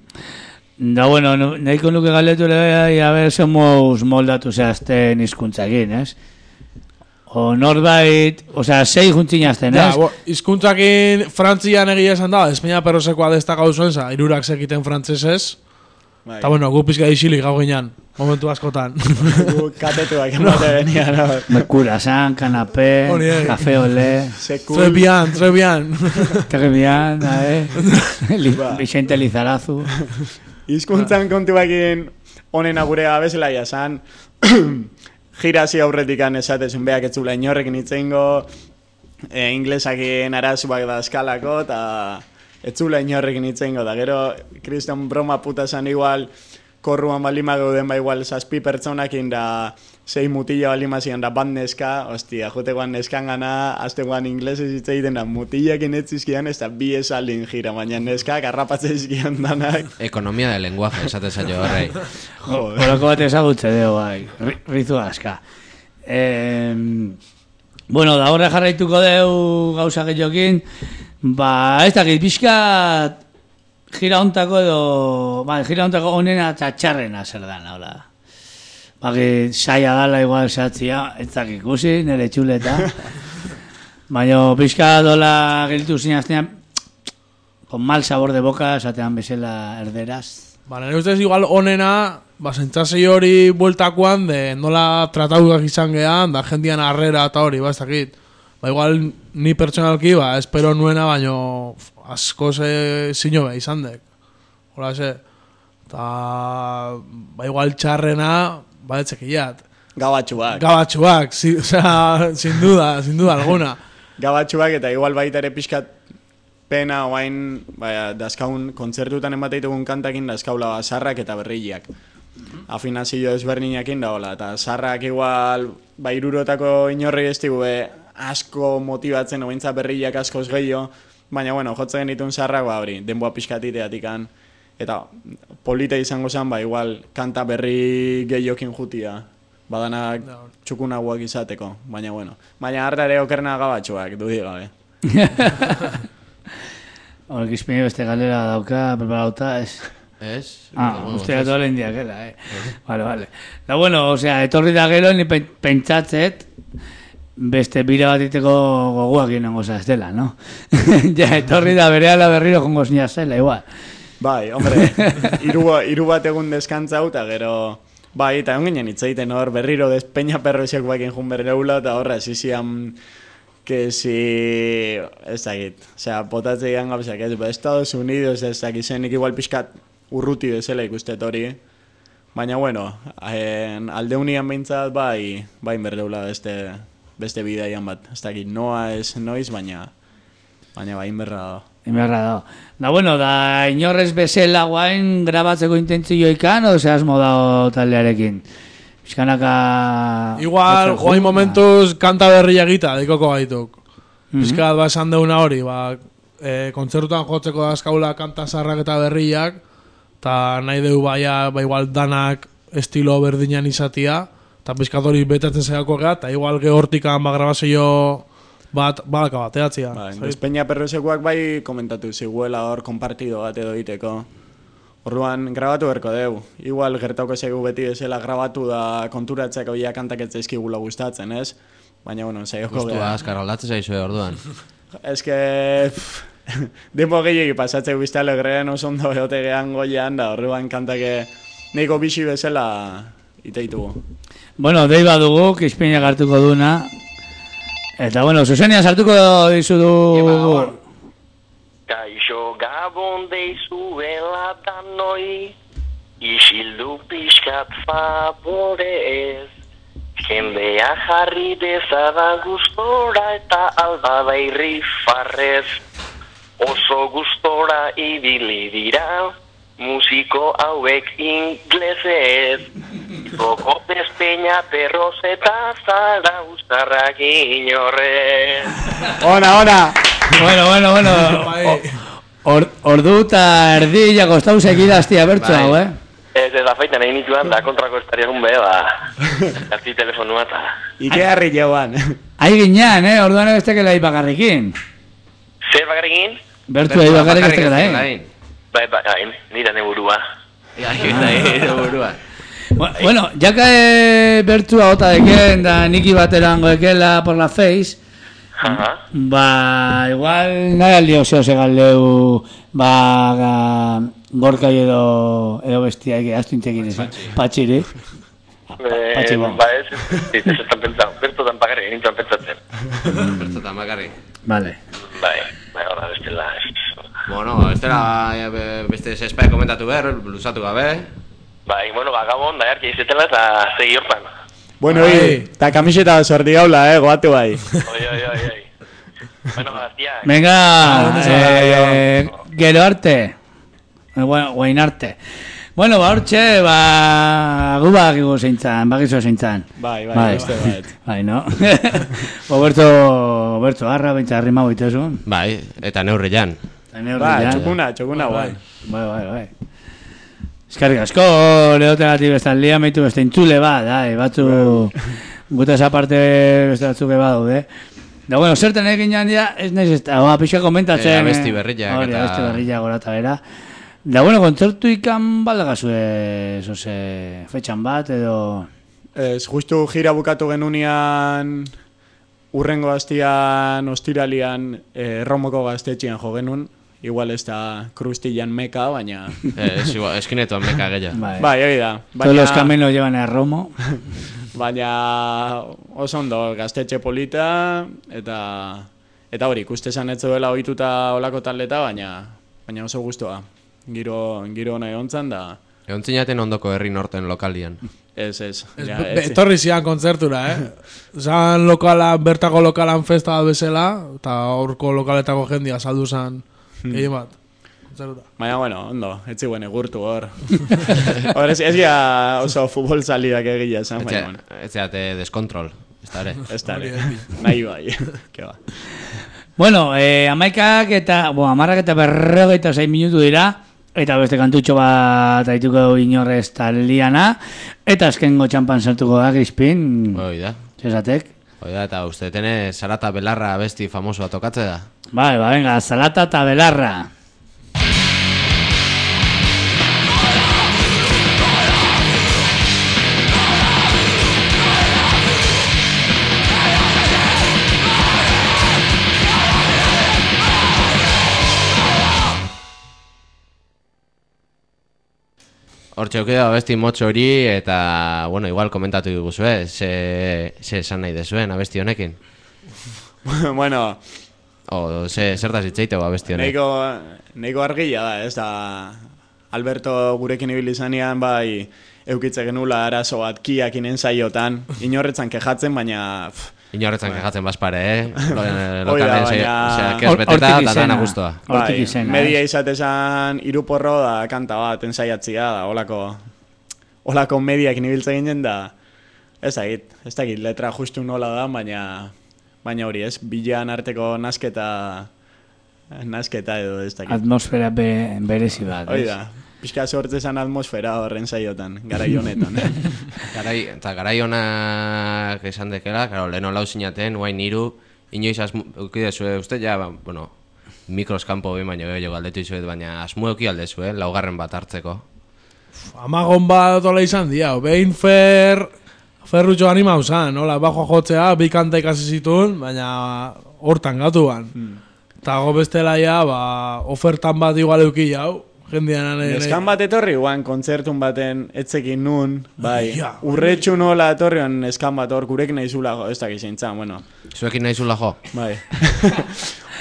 Da, bueno, no, nahiko nuke galetu ere, a ber, zemuz moldatu zehazten hizkuntzakin, ez? O norbait, osea, sei juntzinazten, Ja, ez? bo, izkuntzakin Frantzian egia esan da, Espainia perrosekoa destakau zuen, za, irurak sekiten frantzesez. Bai. Eta bueno, gu pizka isilik gau ginean, momentu askotan. Gu katetuak emate benian. Mercurasan, kanapé, Hori, eh. café olé, Très bien, très bien. très bien, eh? Li- Vicente Lizarazu. Hizkuntzan kontuakin honen agure gabezela jasan, girasi aurretikan esatezun beak etzula inorrekin itzeingo, e, inglesakin arazuak da eskalako, eta etzula inorrekin itzeingo, da gero, kriston broma puta zan igual, korruan balima gauden ba igual zazpi pertsonakin da sei mutila balima zian da bat neska, ostia, jotegoan neskan gana, aztegoan inglesez hitz egiten da mutilakin etzizkian, ez da bi esaldin gira, baina neska garrapatzen izkian danak. Ekonomia de lenguaje, esate zailo horrei. Horako bat ezagutze deo, bai, ri- rizu aska. Eh, bueno, da horre jarraituko deu gauza gehiokin, ba, ez dakit, pixkat gira hontako edo, ba, gira hontako honena eta txarrena zer dan, hola. Baki, saia dala igual zehatzia, ez dakik ikusi, nire txuleta. Baina pixka dola gelitu zinaztean, con mal sabor de boca, esatean bezala erderaz. Ba, nire ustez igual onena, ba, zentzazei hori bueltakoan, de nola tratauak izan gehan, da jendian arrera eta hori, ba, ez dakit. Ba, igual ni pertsonalki, ba, espero nuena, baino asko ze zino be izan dek. Hola, ze. Ta, ba, igual txarrena, ba, etxekiat. Gabatxuak. Gabatxuak, si, o sea, sin duda, sin duda alguna. Gabatxuak eta igual baita ere pixkat pena oain, baya, dazkaun kontzertutan emateitugun kantakin dazkaula sarrak eta berriak. Afinazio ezberdinakin da hola, eta sarrak igual, ba, irurotako inorri ez digu, asko motibatzen, oaintza berriak askoz gehiago, baina, bueno, jotzen ditun sarrak, ba, hori, denboa pixkatiteatikan, eta polita izango zen, ba, igual, kanta berri gehiokin jutia, badanak txukunagoak izateko, baina, bueno. Baina hartare okerna gabatxoak, dudik gabe. Horrek izpini beste galera dauka, preparauta, ez? Ez? Ah, ustea toda la indiakela, eh? Vale, vale. Da, bueno, o sea, etorri da gero, ni pen- pentsatzet, beste bira bat iteko goguak inongo zaztela, no? Ja, etorri da berehala berriro jongo zina zela, igual. Bai, hombre, hiru hiru bat egun deskantzau, eta gero, bai, eta egon ginen hitz egiten hor, berriro des peña perroxek bakin jun berreula, eta horra, zizian, que si, ez dakit, osea, potatze egan gabzak, ez, ba, Estados Unidos, ez dakit, zenik igual pixkat urruti bezala ikustet hori, baina, bueno, en, alde unian behintzat, bai, bai berreula beste, beste bidaian bat, ez dakit, noa ez noiz, baina, baina bai inberra da. Inberra da. Da, bueno, da inorrez bezala guain grabatzeko intentzioikan, o sea, asmo dao taldearekin. Bizkanaka... Igual, guain momentuz kanta berria egita, dekoko gaituk. Mhm. Bizkat, ba, esan deuna hori, ba, e, kontzertutan jotzeko dazkaula kanta zarrak eta berriak, eta nahi deu baia, ba, igual danak estilo berdinan izatia, eta bizkat hori betatzen zegako gara, eta igual gehortikan ba, grabazio bat, balaka bat, eatzia. Ba, Despeña Perrosekuak bai komentatu ziguela hor konpartido bat edo iteko. Orduan, grabatu berko deu. Igual gertauko zegu beti bezala grabatu da konturatzeko ia kantak ez zaizkigula gustatzen, ez? Baina, bueno, saioko Gustua azkar aldatzen zaizue orduan. Ez que... Dempo gehiagi pasatzeko bizta alegrean oso ondo egote gehan goian, da orduan kantake neiko bixi bezala iteitugu. Bueno, dei badugu, Kispeinak hartuko duna. Eta, bueno, Zuzenia sartuko dizu du... Kaixo gabon deizuela danoi, isildu pixkat favorez. Jendea jarri dezada gustora eta albada irri farrez. Oso gustora ibili dira, musiko hauek inglesez. Roko Despeña Perros eta zara ustarrak inorrez. Ona, ona! Bueno, bueno, bueno. Or, ordu eta erdila kostau segidaztia bertzu hau, eh? Ez ez afaitan egin nituan da kontrako estariakun be, ba, harti telefonua eta... Ike harri jauan. Ahi ginean, eh? Orduan ebestekela ipakarrikin. Zer bakarrikin? Bertu egin bakarrik estekela, eh? Bai, bai, nira neburua. Nire burua. Bueno, jaka e, bertua gota deken da niki baterango ekela por la face, ba, igual nahi aldio zeo segaldeu, ba, gorkai edo, edo bestia eke, aztu intekin ez, patxiri. Patxi bon. Ba, ez, ez, ez estan pentsau, bertotan bakarrik, nintzen pentsatzen. Bertotan bakarrik. Vale. Bai, bai, hori bestela, ez. Bueno, bestela beste zespai komentatu behar, lusatu gabe. Bai, bueno, ba, gabon, da jarki izetela eta segi hortan. Bueno, hi, eta kamiseta sorti gaula, eh, goatu bai. Oi, oi, oi, oi. Bueno, gaztiak. Venga, eh, gero arte. Eh, bueno, guain arte. Bueno, ba, hortxe, ba, gu bakigu zeintzan, bakizu zeintzan. Bai, bai, beste bat. Bai, no? Oberto, oberto, harra, bintza, rima boitezun. Bai, eta neurrian. Ba, txukuna, txukuna, bai. Bai, bai, bai. Eskarrik asko, lehotegati bestan lia, meitu beste intzule bat, dai, batzu, guta esa parte beste batzuke badaude. Da, bueno, zerten egin jandia, ez nahiz ez da, pixka komentatzen. Eh, abesti berriak hori, eta... abesti berriak gorata bera. Da, bueno, kontzertu ikan baldagazue, zoze, fetxan bat, edo... Ez, justu gira bukatu genunian, urrengo hastian, ostiralian, eh, Erromoko gaztetxian jo genuen. Igual ez da Krustillan meka, baina... Eh, es igual, eskinetoan meka gehiago. Bai, bai, hori da. Baina... Todos los caminos llevan a Romo. Baina oso ondo, gaztetxe polita, eta eta hori, ikuste esan ez zuela ohituta olako taldeta, baina baina oso gustoa. Giro, giro nahi ontzan da... Egon zinaten ondoko herri norten lokalian. Ez, ez. ez ja, ez etorri zian kontzertura, eh? Zan lokala, bertako lokalan festa bat bezala, eta horko lokaletako jendia saldu zan... Egin bat, kontzertura. Baina, bueno, ondo, etzi guen egurtu hor. Hor, ez, ez gira oso futbol salidak egila esan, baina, bueno. Ez zeate deskontrol, ez da ere. Ez da ere, nahi bai, ke ba. Bueno, eh, amaikak eta, bo, amarrak eta berrogeita zein minutu dira, eta beste kantutxo bat aituko inorrez taldiana, eta azkengo txampan sartuko da, Crispin. Hoi da. Zesatek. Hoi da, eta uste tene Zarata Belarra besti famosoa tokatze da. Bai, ba, venga, Zarata eta Belarra. Hortxe okida abesti motxo hori eta, bueno, igual komentatu diguzue, ze, ze esan nahi dezuen abesti honekin. Bueno... O, ze, zertaz itxeitego abesti honek. Neiko, neiko argila da, ez da... Alberto gurekin ibili zanean, bai, eukitze genula arazo bat kiak inen saiotan, inorretzan kejatzen, baina... Pff, Inorretzan kejatzen bazpare, eh? Lokalen baina... zeak ez beteta, da dana guztua. Bai, media izatezan iruporro da kanta bat, ensaiatzia da, olako... Olako mediak nibiltze ginen da... Ez dakit, ez dakit, letra justu nola da, baina... Baina hori ez, bilan arteko nasketa... Nasketa edo ez dakit. Atmosfera be, berezi bat, hori da, pixka sortzezan atmosfera horren saiotan, garai honetan. Garai, eta garai honak esan dekela, karo, lehen olau zinaten, guain niru, inoiz asmukidezue, uste ja, bueno, mikros kanpo behin baino gehiago galdetu izuet, baina asmueki aldezue, laugarren bat hartzeko. Amagon bat ola izan dia, behin fer... Ferrutxo anima usan, nola, bajoa jotzea, bi kanta ikasi zituen, baina hortan gatuan. Eta hmm. go bestela ja, ba, ofertan bat igual euki jau, jendean... Eskan bat etorri guan, kontzertun baten etzekin nun, bai, urretxu nola etorrian eskan bat hor, gurekin nahi zula jo, ez dakit zintzen, bueno. Zuekin nahi zula jo? Bai.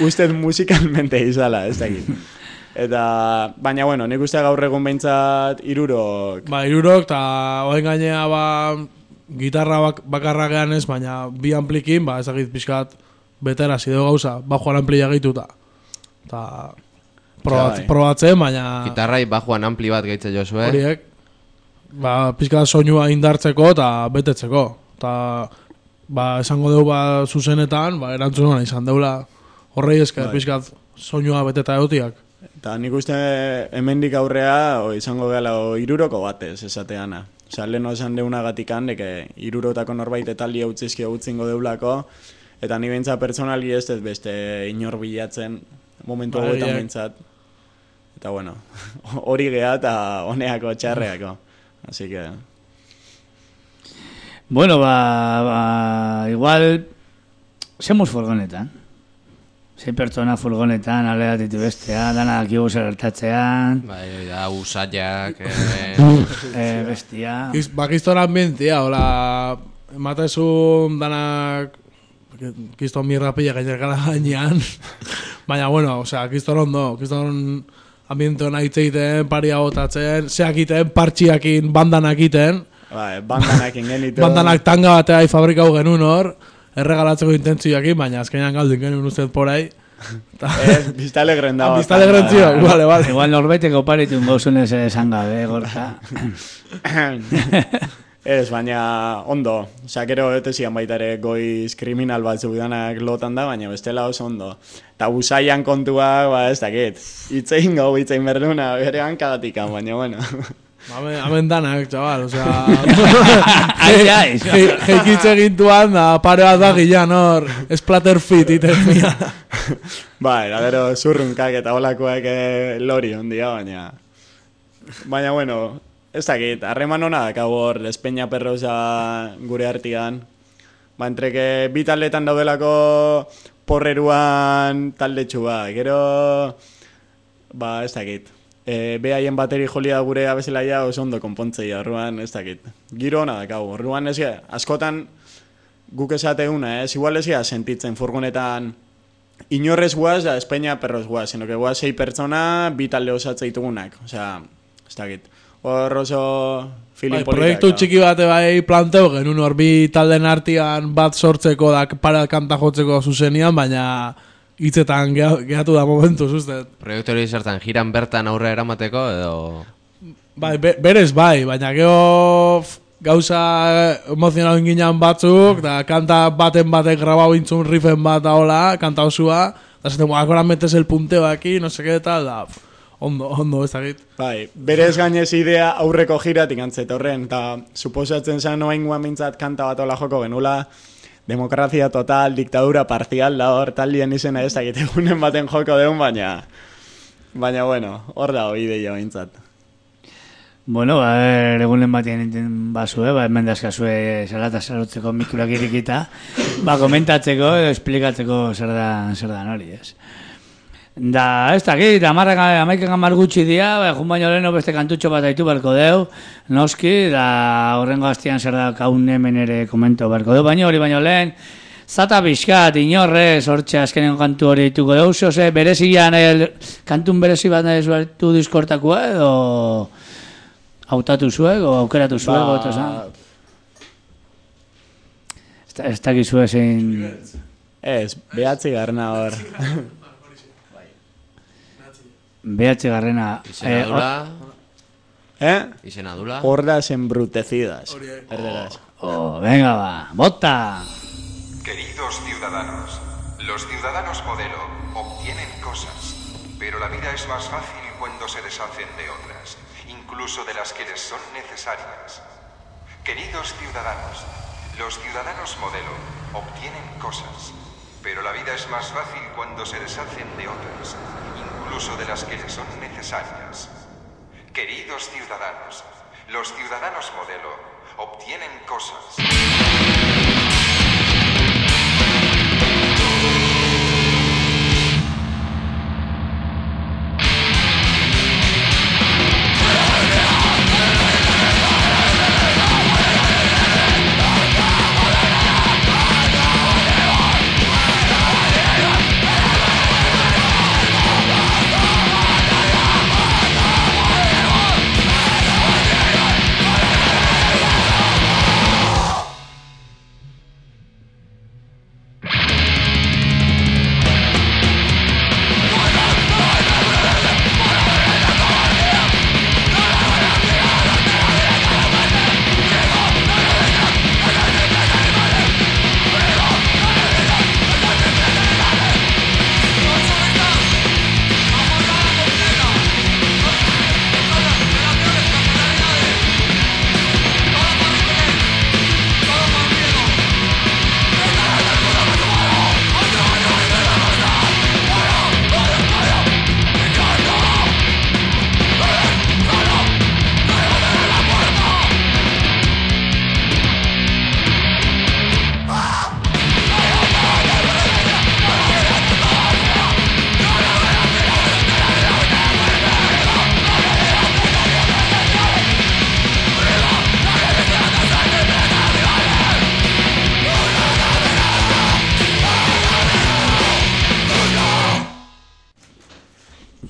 Usted musikalmente izala, ez dakit. Eta, baina, bueno, nik uste gaur egun behintzat irurok. Ba, irurok, eta oen gainea, ba, gitarra bak bakarra gehan ez, baina bi amplikin, ba, ezagit pixkat betera zideo gauza, bajoan amplia gehituta. Eta, probat, probatzen, baina... Gitarrai bajoan ampli bat gehitze jozue. Horiek, ba, pixkat soinua indartzeko eta betetzeko. Eta, ba, esango dugu, ba, zuzenetan, ba, erantzunan izan deula horrei esker, pixkat soinua beteta egotiak. Eta nik uste hemendik aurrea o, izango gala o, iruroko batez esateana. Osa, leheno esan deunagatik handek irurotako norbait etaldi hau txizki hau txingo deulako, eta ni bentsa personali ez ez beste inor bilatzen momentu hauetan bentsat. Eta bueno, hori geha eta honeako txarreako. Así que... Bueno, ba, ba igual, semos furgonetan. Sei pertsona furgonetan, alea ditu bestea, dana dakigu zer hartatzean. Bai, da, usaiak, eh, eh, bestia. Bakizton ambientia, hola, ematezun danak, kiston mirrapilla gainer gala gainean. Baina, bueno, osea, kiston ondo, kiston ambiente hona itzeiten, paria botatzen, zeakiten, partxiakin, bandanak iten. Bai, bandanakin genitu. Bandanak tanga batea fabrikau genuen hor. Erregalatzeko intentzioakin, baina azkenean galduen genuen ustez porai. Eh, Bista Alegren dago. Bista Alegren zio, vale, vale. Igual norbaiteko paritun gauzunez esan gabe, gorka. Ez, baina ondo. Osa, gero etezian baita ere goiz kriminal bat zeudanak lotan da, baina bestela oso ondo. Eta usaian kontuak, ba, ez dakit. Itzein gau, itzein berduna, bere hankagatikan, baina, bueno... Hemen, hemen danak, txabal, osea... Jeikitze gintuan, da, pare bat da gilan hor, splatter fit, iten mia. Ba, era, gero, zurrunkak eta holakoak eh, lori ondia, baina... Baina, bueno, ez dakit, harreman hona dakau hor, Espeña Perrosa gure artian. Ba, entreke, bi taldetan daudelako porreruan talde txuba, gero... Ba, ez dakit. E, behaien bateri jolia gure abezelaia oso ondo konpontzei, orruan ez dakit. Giro hona dakau, orruan ez gara, askotan guk esateuna, ez, igual ez gara sentitzen furgonetan inorrez guaz da Espeña Perros guaz, sino que guaz sei pertsona, bi talde osatzea osea, ez dakit. Hor oso feeling bai, proiektu txiki bate bai planteo genuen hor bi talden artian bat sortzeko da para kanta jotzeko zuzenian, baina... Itzetan gehatu da momentu, zuztet. Proiektu hori zertan, jiran bertan aurre eramateko, edo... Bai, be, berez bai, baina geho gauza emozionau inginan batzuk, da kanta baten batek grabau intzun riffen bat daola, kanta osua, da zaten, akora metes el punteo aquí, no seke tal, da, ondo, ondo, ez dakit. Bai, berez gainez idea aurreko jiratik antzet horren, eta suposatzen zen noain guan mintzat kanta bat ola joko genula, demokrazia total, diktadura parcial, da hor, taldien izena ez dakit egunen baten joko deun, baina... Baina, bueno, hor da hoi deia bintzat. Bueno, ba, egunen batean enten bazue, ba, hemen dazkazue salata sarotzeko mikurak irikita, ba, komentatzeko, edo esplikatzeko zer da, zer da nori, ez. Da, ez dakit, amaiken gamar gutxi dia, ba, jun baino leheno beste kantutxo bat haitu berko deu, noski, da horrengo hastian zer da kaun hemen ere komento berko deu, baino hori baino lehen, zata pixkat, inorrez, hortxe azkenen kantu hori dituko deu, zose, berezian, el, kantun berezi bat nahi zuertu diskortakua, edo hautatu zuek, o aukeratu zuek, ba... eta zan. Ez dakizue zein... Ez, behatzi garna hor. Behatzi garrena... Izenadula... Eh? Izenadula... Hordas embrutecidas. Herderas. Oh, venga va, bota. Queridos ciudadanos, los ciudadanos modelo obtienen cosas, pero la vida es más fácil cuando se deshacen de otras, incluso de las que les son necesarias. Queridos ciudadanos, los ciudadanos modelo obtienen cosas, pero la vida es más fácil cuando se deshacen de otras, incluso de las que les son necesarias. Queridos ciudadanos, los ciudadanos modelo obtienen cosas.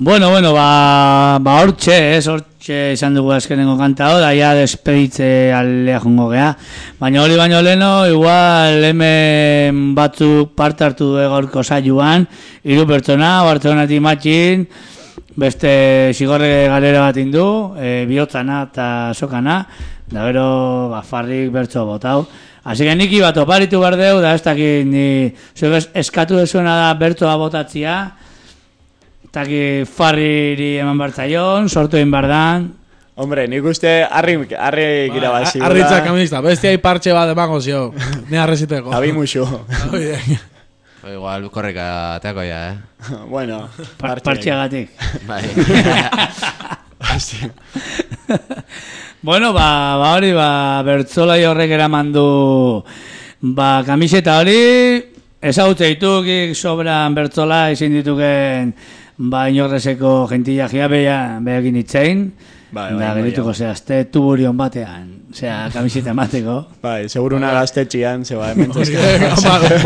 Bueno, bueno, ba, ba hortxe, ez, hortxe izan dugu azkenengo kanta hau, da ja despeditze aldea jongo gea. Baina hori baino leno, igual hemen batzuk parte hartu du gaurko saioan, hiru pertsona, Bartzelonatik matxin, beste zigorre galera bat indu, e, bihotzana eta sokana, da gero ba, farrik bertso botau. Así que niki bat oparitu behar deu, da ez dakit ni zuek eskatu dezuena da bertsoa botatzia, taki farriri eman bartzaion, sortu egin bardan. Hombre, nik uste harri, harri gira bat zigula. Harritzak kamista, bestia parche bat emango zio. Ne harreziteko. Abi muxu. Igual korreka ateako ya, eh? Bueno, partxeagatik. Bai. Bueno, ba, ba hori, ba, bertzolai horrek eraman du, ba, kamiseta hori, ezagutze ditukik sobran bertzola izin dituken, ba, inorrezeko gentilla jia behakin itzein, bai, da, gerituko zehazte tuburion batean, zera, kamiseta emateko. Bai, seguruna gaztetxian, zeba, ementzez.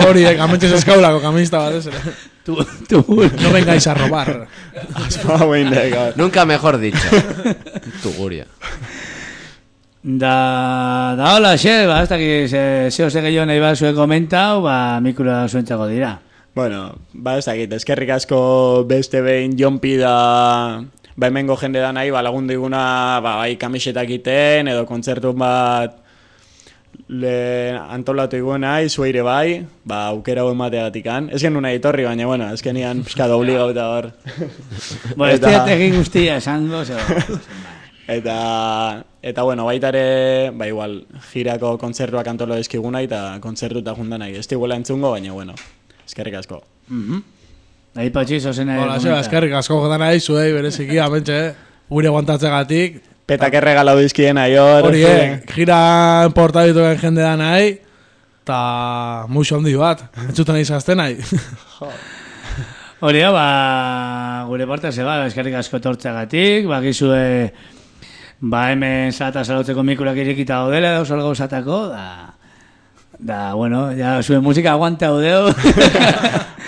Hori, ementzez eskaulako kamista bat, ez? Tuburion. No vengáis a robar. Nunca mejor dicho. Tuguria. Da, da hola, xe, ba, ez dakit, zeo ze gehiago nahi bat zuen komentau, ba, mikroa zuentzako dira. Bueno, ba, ez dakit, eskerrik asko beste behin jonpi da, ba, hemengo jende da nahi, ba, lagundu iguna, ba, bai, kamisetak iten, edo kontzertu bat le antolatu iguna, izueire bai, ba, aukera hau emateagatikan. Ez genuen nahi torri, baina, bueno, ez genian pixka dobli gauta hor. Bueno, ez diategin guztia esango, zego. Eta, eta bueno, baita ere, ba igual, girako kontzertuak antolo dizkiguna eta kontzertuta junta nahi. Ez tiguela entzungo, baina bueno, eskerrik asko. Nahi patxiz, ozen nahi. Hola, zeba, eskerrik asko jota nahi, zuei, bereziki, amentxe, gure guantatzegatik. Petak erregalau dizkien nahi hor. Hori, eh, gira portabituken jende da nahi, eta muixo handi bat, entzuten nahi zazten nahi. Hori, ba, gure parte zeba, eskerrik asko tortzeagatik, ba, gizue... Ba, hemen zata salautzeko mikurak irekita daudela, dauz algo zatako, da, da, bueno, ya zuen musika aguante haudeu.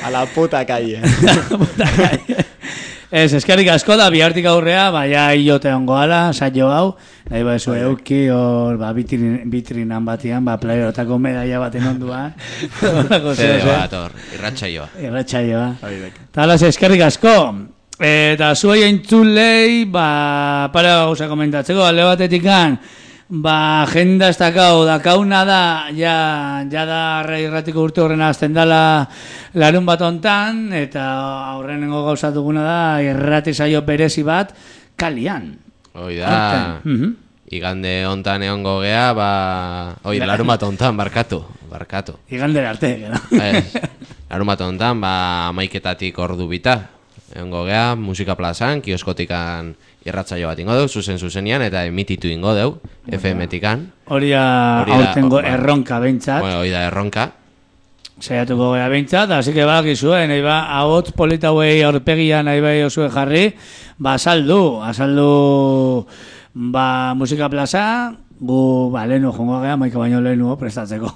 A la puta calle. A la puta calle. Ez, eskerrik asko da, bihartik aurrea, ba, ja iote ongo ala, saio hau, nahi ba, zue euki, hor, ba, bitrin, bitrinan batian, ba, playerotako medaia baten onduan. Zede bat, hor, irratxaioa. Irratxaioa. Talaz, eskerrik asko. Eta zuei entzulei, ba, para gauza komentatzeko, alde batetikan, ba, agenda ez dakau, dakauna da, ja, ja da irratiko urte horrena azten dala larun bat ontan, eta aurrenengo gauza duguna da, irrati saio berezi bat, kalian. Hoi da, igande ontan egongo gea, ba, oi, larun bat ontan, barkatu, barkatu. Igande arte, gero. larun bat honetan, ba, amaiketatik ordu bita. Egongo gea, musika plazan, kioskotikan irratzaio bat ingo deu, zuzen zuzenian, eta emititu ingo deu, F M-tikan. Hori da aurtengo erronka behintzat. Hori da erronka. Saiatuko gara behintzat, hasi que bakizuen, nahi ba, ahotz polita huei aurpegia nahi bai osue jarri, ba, azaldu, azaldu, ba, musika plaza, gu, ba, lehenu jongo gara, maika baino lehenu prestatzeko.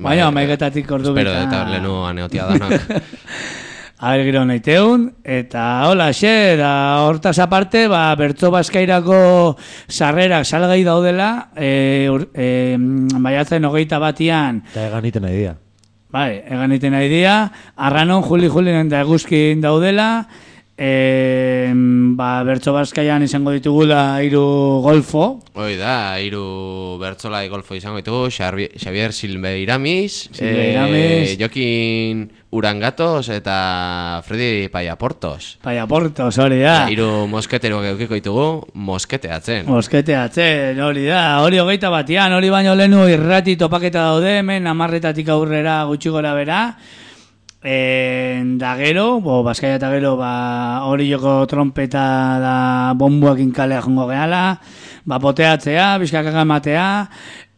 Baina, maiketatik ordu bita. Espero, eta lehenu aneotia danak. Aher gero nahi teun, eta hola, xe, da hortaz aparte, ba, bertso bazkairako sarrerak salgai daudela, e, e, baiatzen hogeita batian. Eta egan iten nahi dia. Bai, egan iten nahi dia, arranon, juli, juli, eta eguzkin daudela, e, ba, bertso bazkaian izango ditugula hiru golfo. Hoi da, hiru bertzolai golfo izango ditugu, Xavier Silveiramis, Silveiramis. E, Jokin Urangatos eta Freddy Payaportos. Payaportos, hori da. Hiru mosketeroak eukiko ditugu, mosketeatzen. Mosketeatzen, hori da. Hori hogeita batian, hori baino lehenu irrati topaketa daude, hemen amarretatik aurrera gutxi gora bera. E, da gero, bo, Bazkaia eta gero, ba, hori joko trompeta da bombuakin kalea jongo gehala, ba, poteatzea, bizkakaka ematea,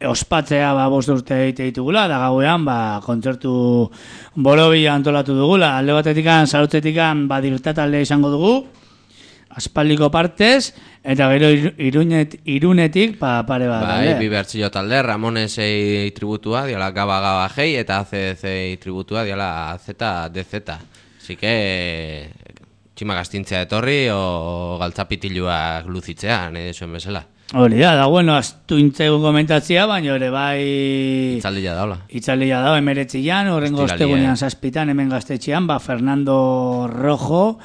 ospatzea, ba, bost urte egite ditugula, da gauean, ba, kontzertu borobila antolatu dugula, alde batetikan, sarutzetikan, ba, dirtatalde izango dugu, aspaldiko partez, eta gero irunet, irunetik, pa, pare bat. Bai, bi bertzio talde, Ramonesei tributua, diala Gaba Gaba Gei, eta A C D C tributua, diala Z D Z. Así que, txima gastintzea etorri, o galtzapitiluak luzitzea, nahi desuen bezala. Hori da, da, bueno, astu intzegun komentatzia, baina ere bai... Itzaldia daula. Itzaldia daula, emeretzian, horrengo ostegunean zazpitan, hemen gaztetxean, ba, Fernando Rojo,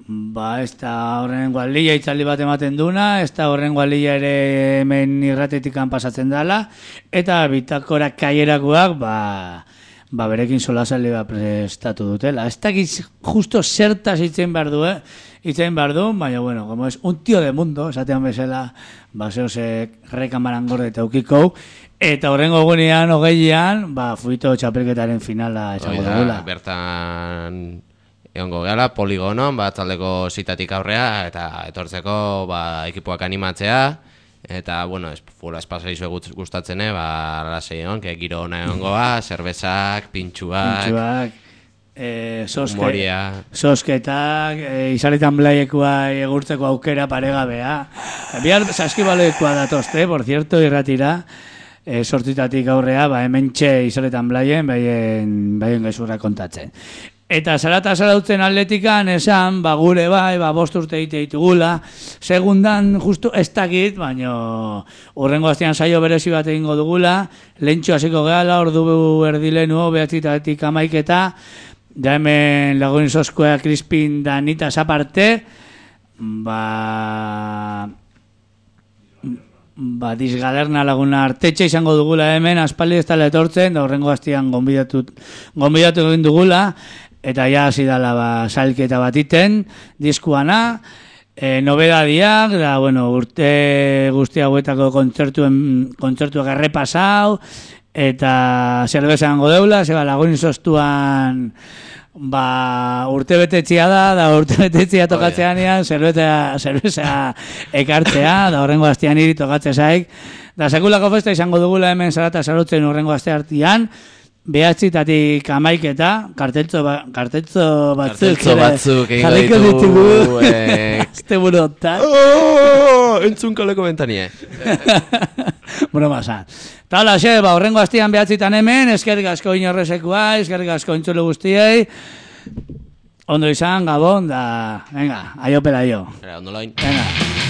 ba, ez da horren gualdia itzaldi bat ematen duna, ez da horren gualdia ere hemen irratetikan pasatzen dela, eta bitakora kaierakoak, ba, ba berekin solasaldi bat prestatu dutela. Ez da justo zertaz itzen behar du, eh? Itzen behar du, baina, bueno, como es un tío de mundo, esatean bezala, ba, zehose rekamaran gorde eta ukiko, eta horrengo gunean, hogeian, ba, fuito txapelketaren finala esango dugula. Bertan... Egongo gehala, poligonon, bat taldeko zitatik aurrea, eta etortzeko ba, ekipoak animatzea, eta, bueno, es, fula espazaizu gustatzen, ba, lasei egon, que giro hona egongoa, zerbezak, pintxuak, pintxuak e, soske, humoria, sosketak, e, izaletan blaiekoa egurtzeko aukera paregabea. Bihar saskibaloekoa datozte, por cierto, irratira, e, sortzitatik aurrea, ba, hemen txe izaletan blaien, baien, baien gezurra kontatzen. Eta zarata zarautzen atletikan esan, ba gure bai, ba bost urte egite ditugula, segundan justu ez dakit, baina urrengo astean saio berezi bat egingo dugula, lehentxo hasiko gehala, ordu erdilenu, behatzitatik amaiketa, da hemen lagunin soskoa Crispin da nita zaparte, ba... ba, disgalerna laguna artetxe izango dugula hemen, aspaldi ez tala etortzen, da horrengo astean gonbidatu, gonbidatu egin dugula, eta ja hasi dala ba, salketa bat iten, diskuana, e, nobedadiak, da, bueno, urte guzti hauetako kontzertuen, kontzertuak errepasau, eta zerbeza hango deula, zeba lagunin soztuan, ba, urte betetxia da, da urte betetxia tokatzean ean, zerbeza ekartzea, da horrengo astean iri tokatzea zaik, da sekulako festa izango dugula hemen zarata zarutzen horrengo aste hartian, behatzitatik amaiketa, karteltzo, ba, karteltzo batzuk, karteltzo batzuk egin ditugu, azte burotan. Oh, entzun kaleko bentanie. Broma zan. Ta hola, xe, ba, horrengo astian behatzitan hemen, eskerrik asko inorrezekoa, eskerrik asko entzule guztiei, ondo izan, gabon, da, venga, aio pela aio. Ondo loin. Venga.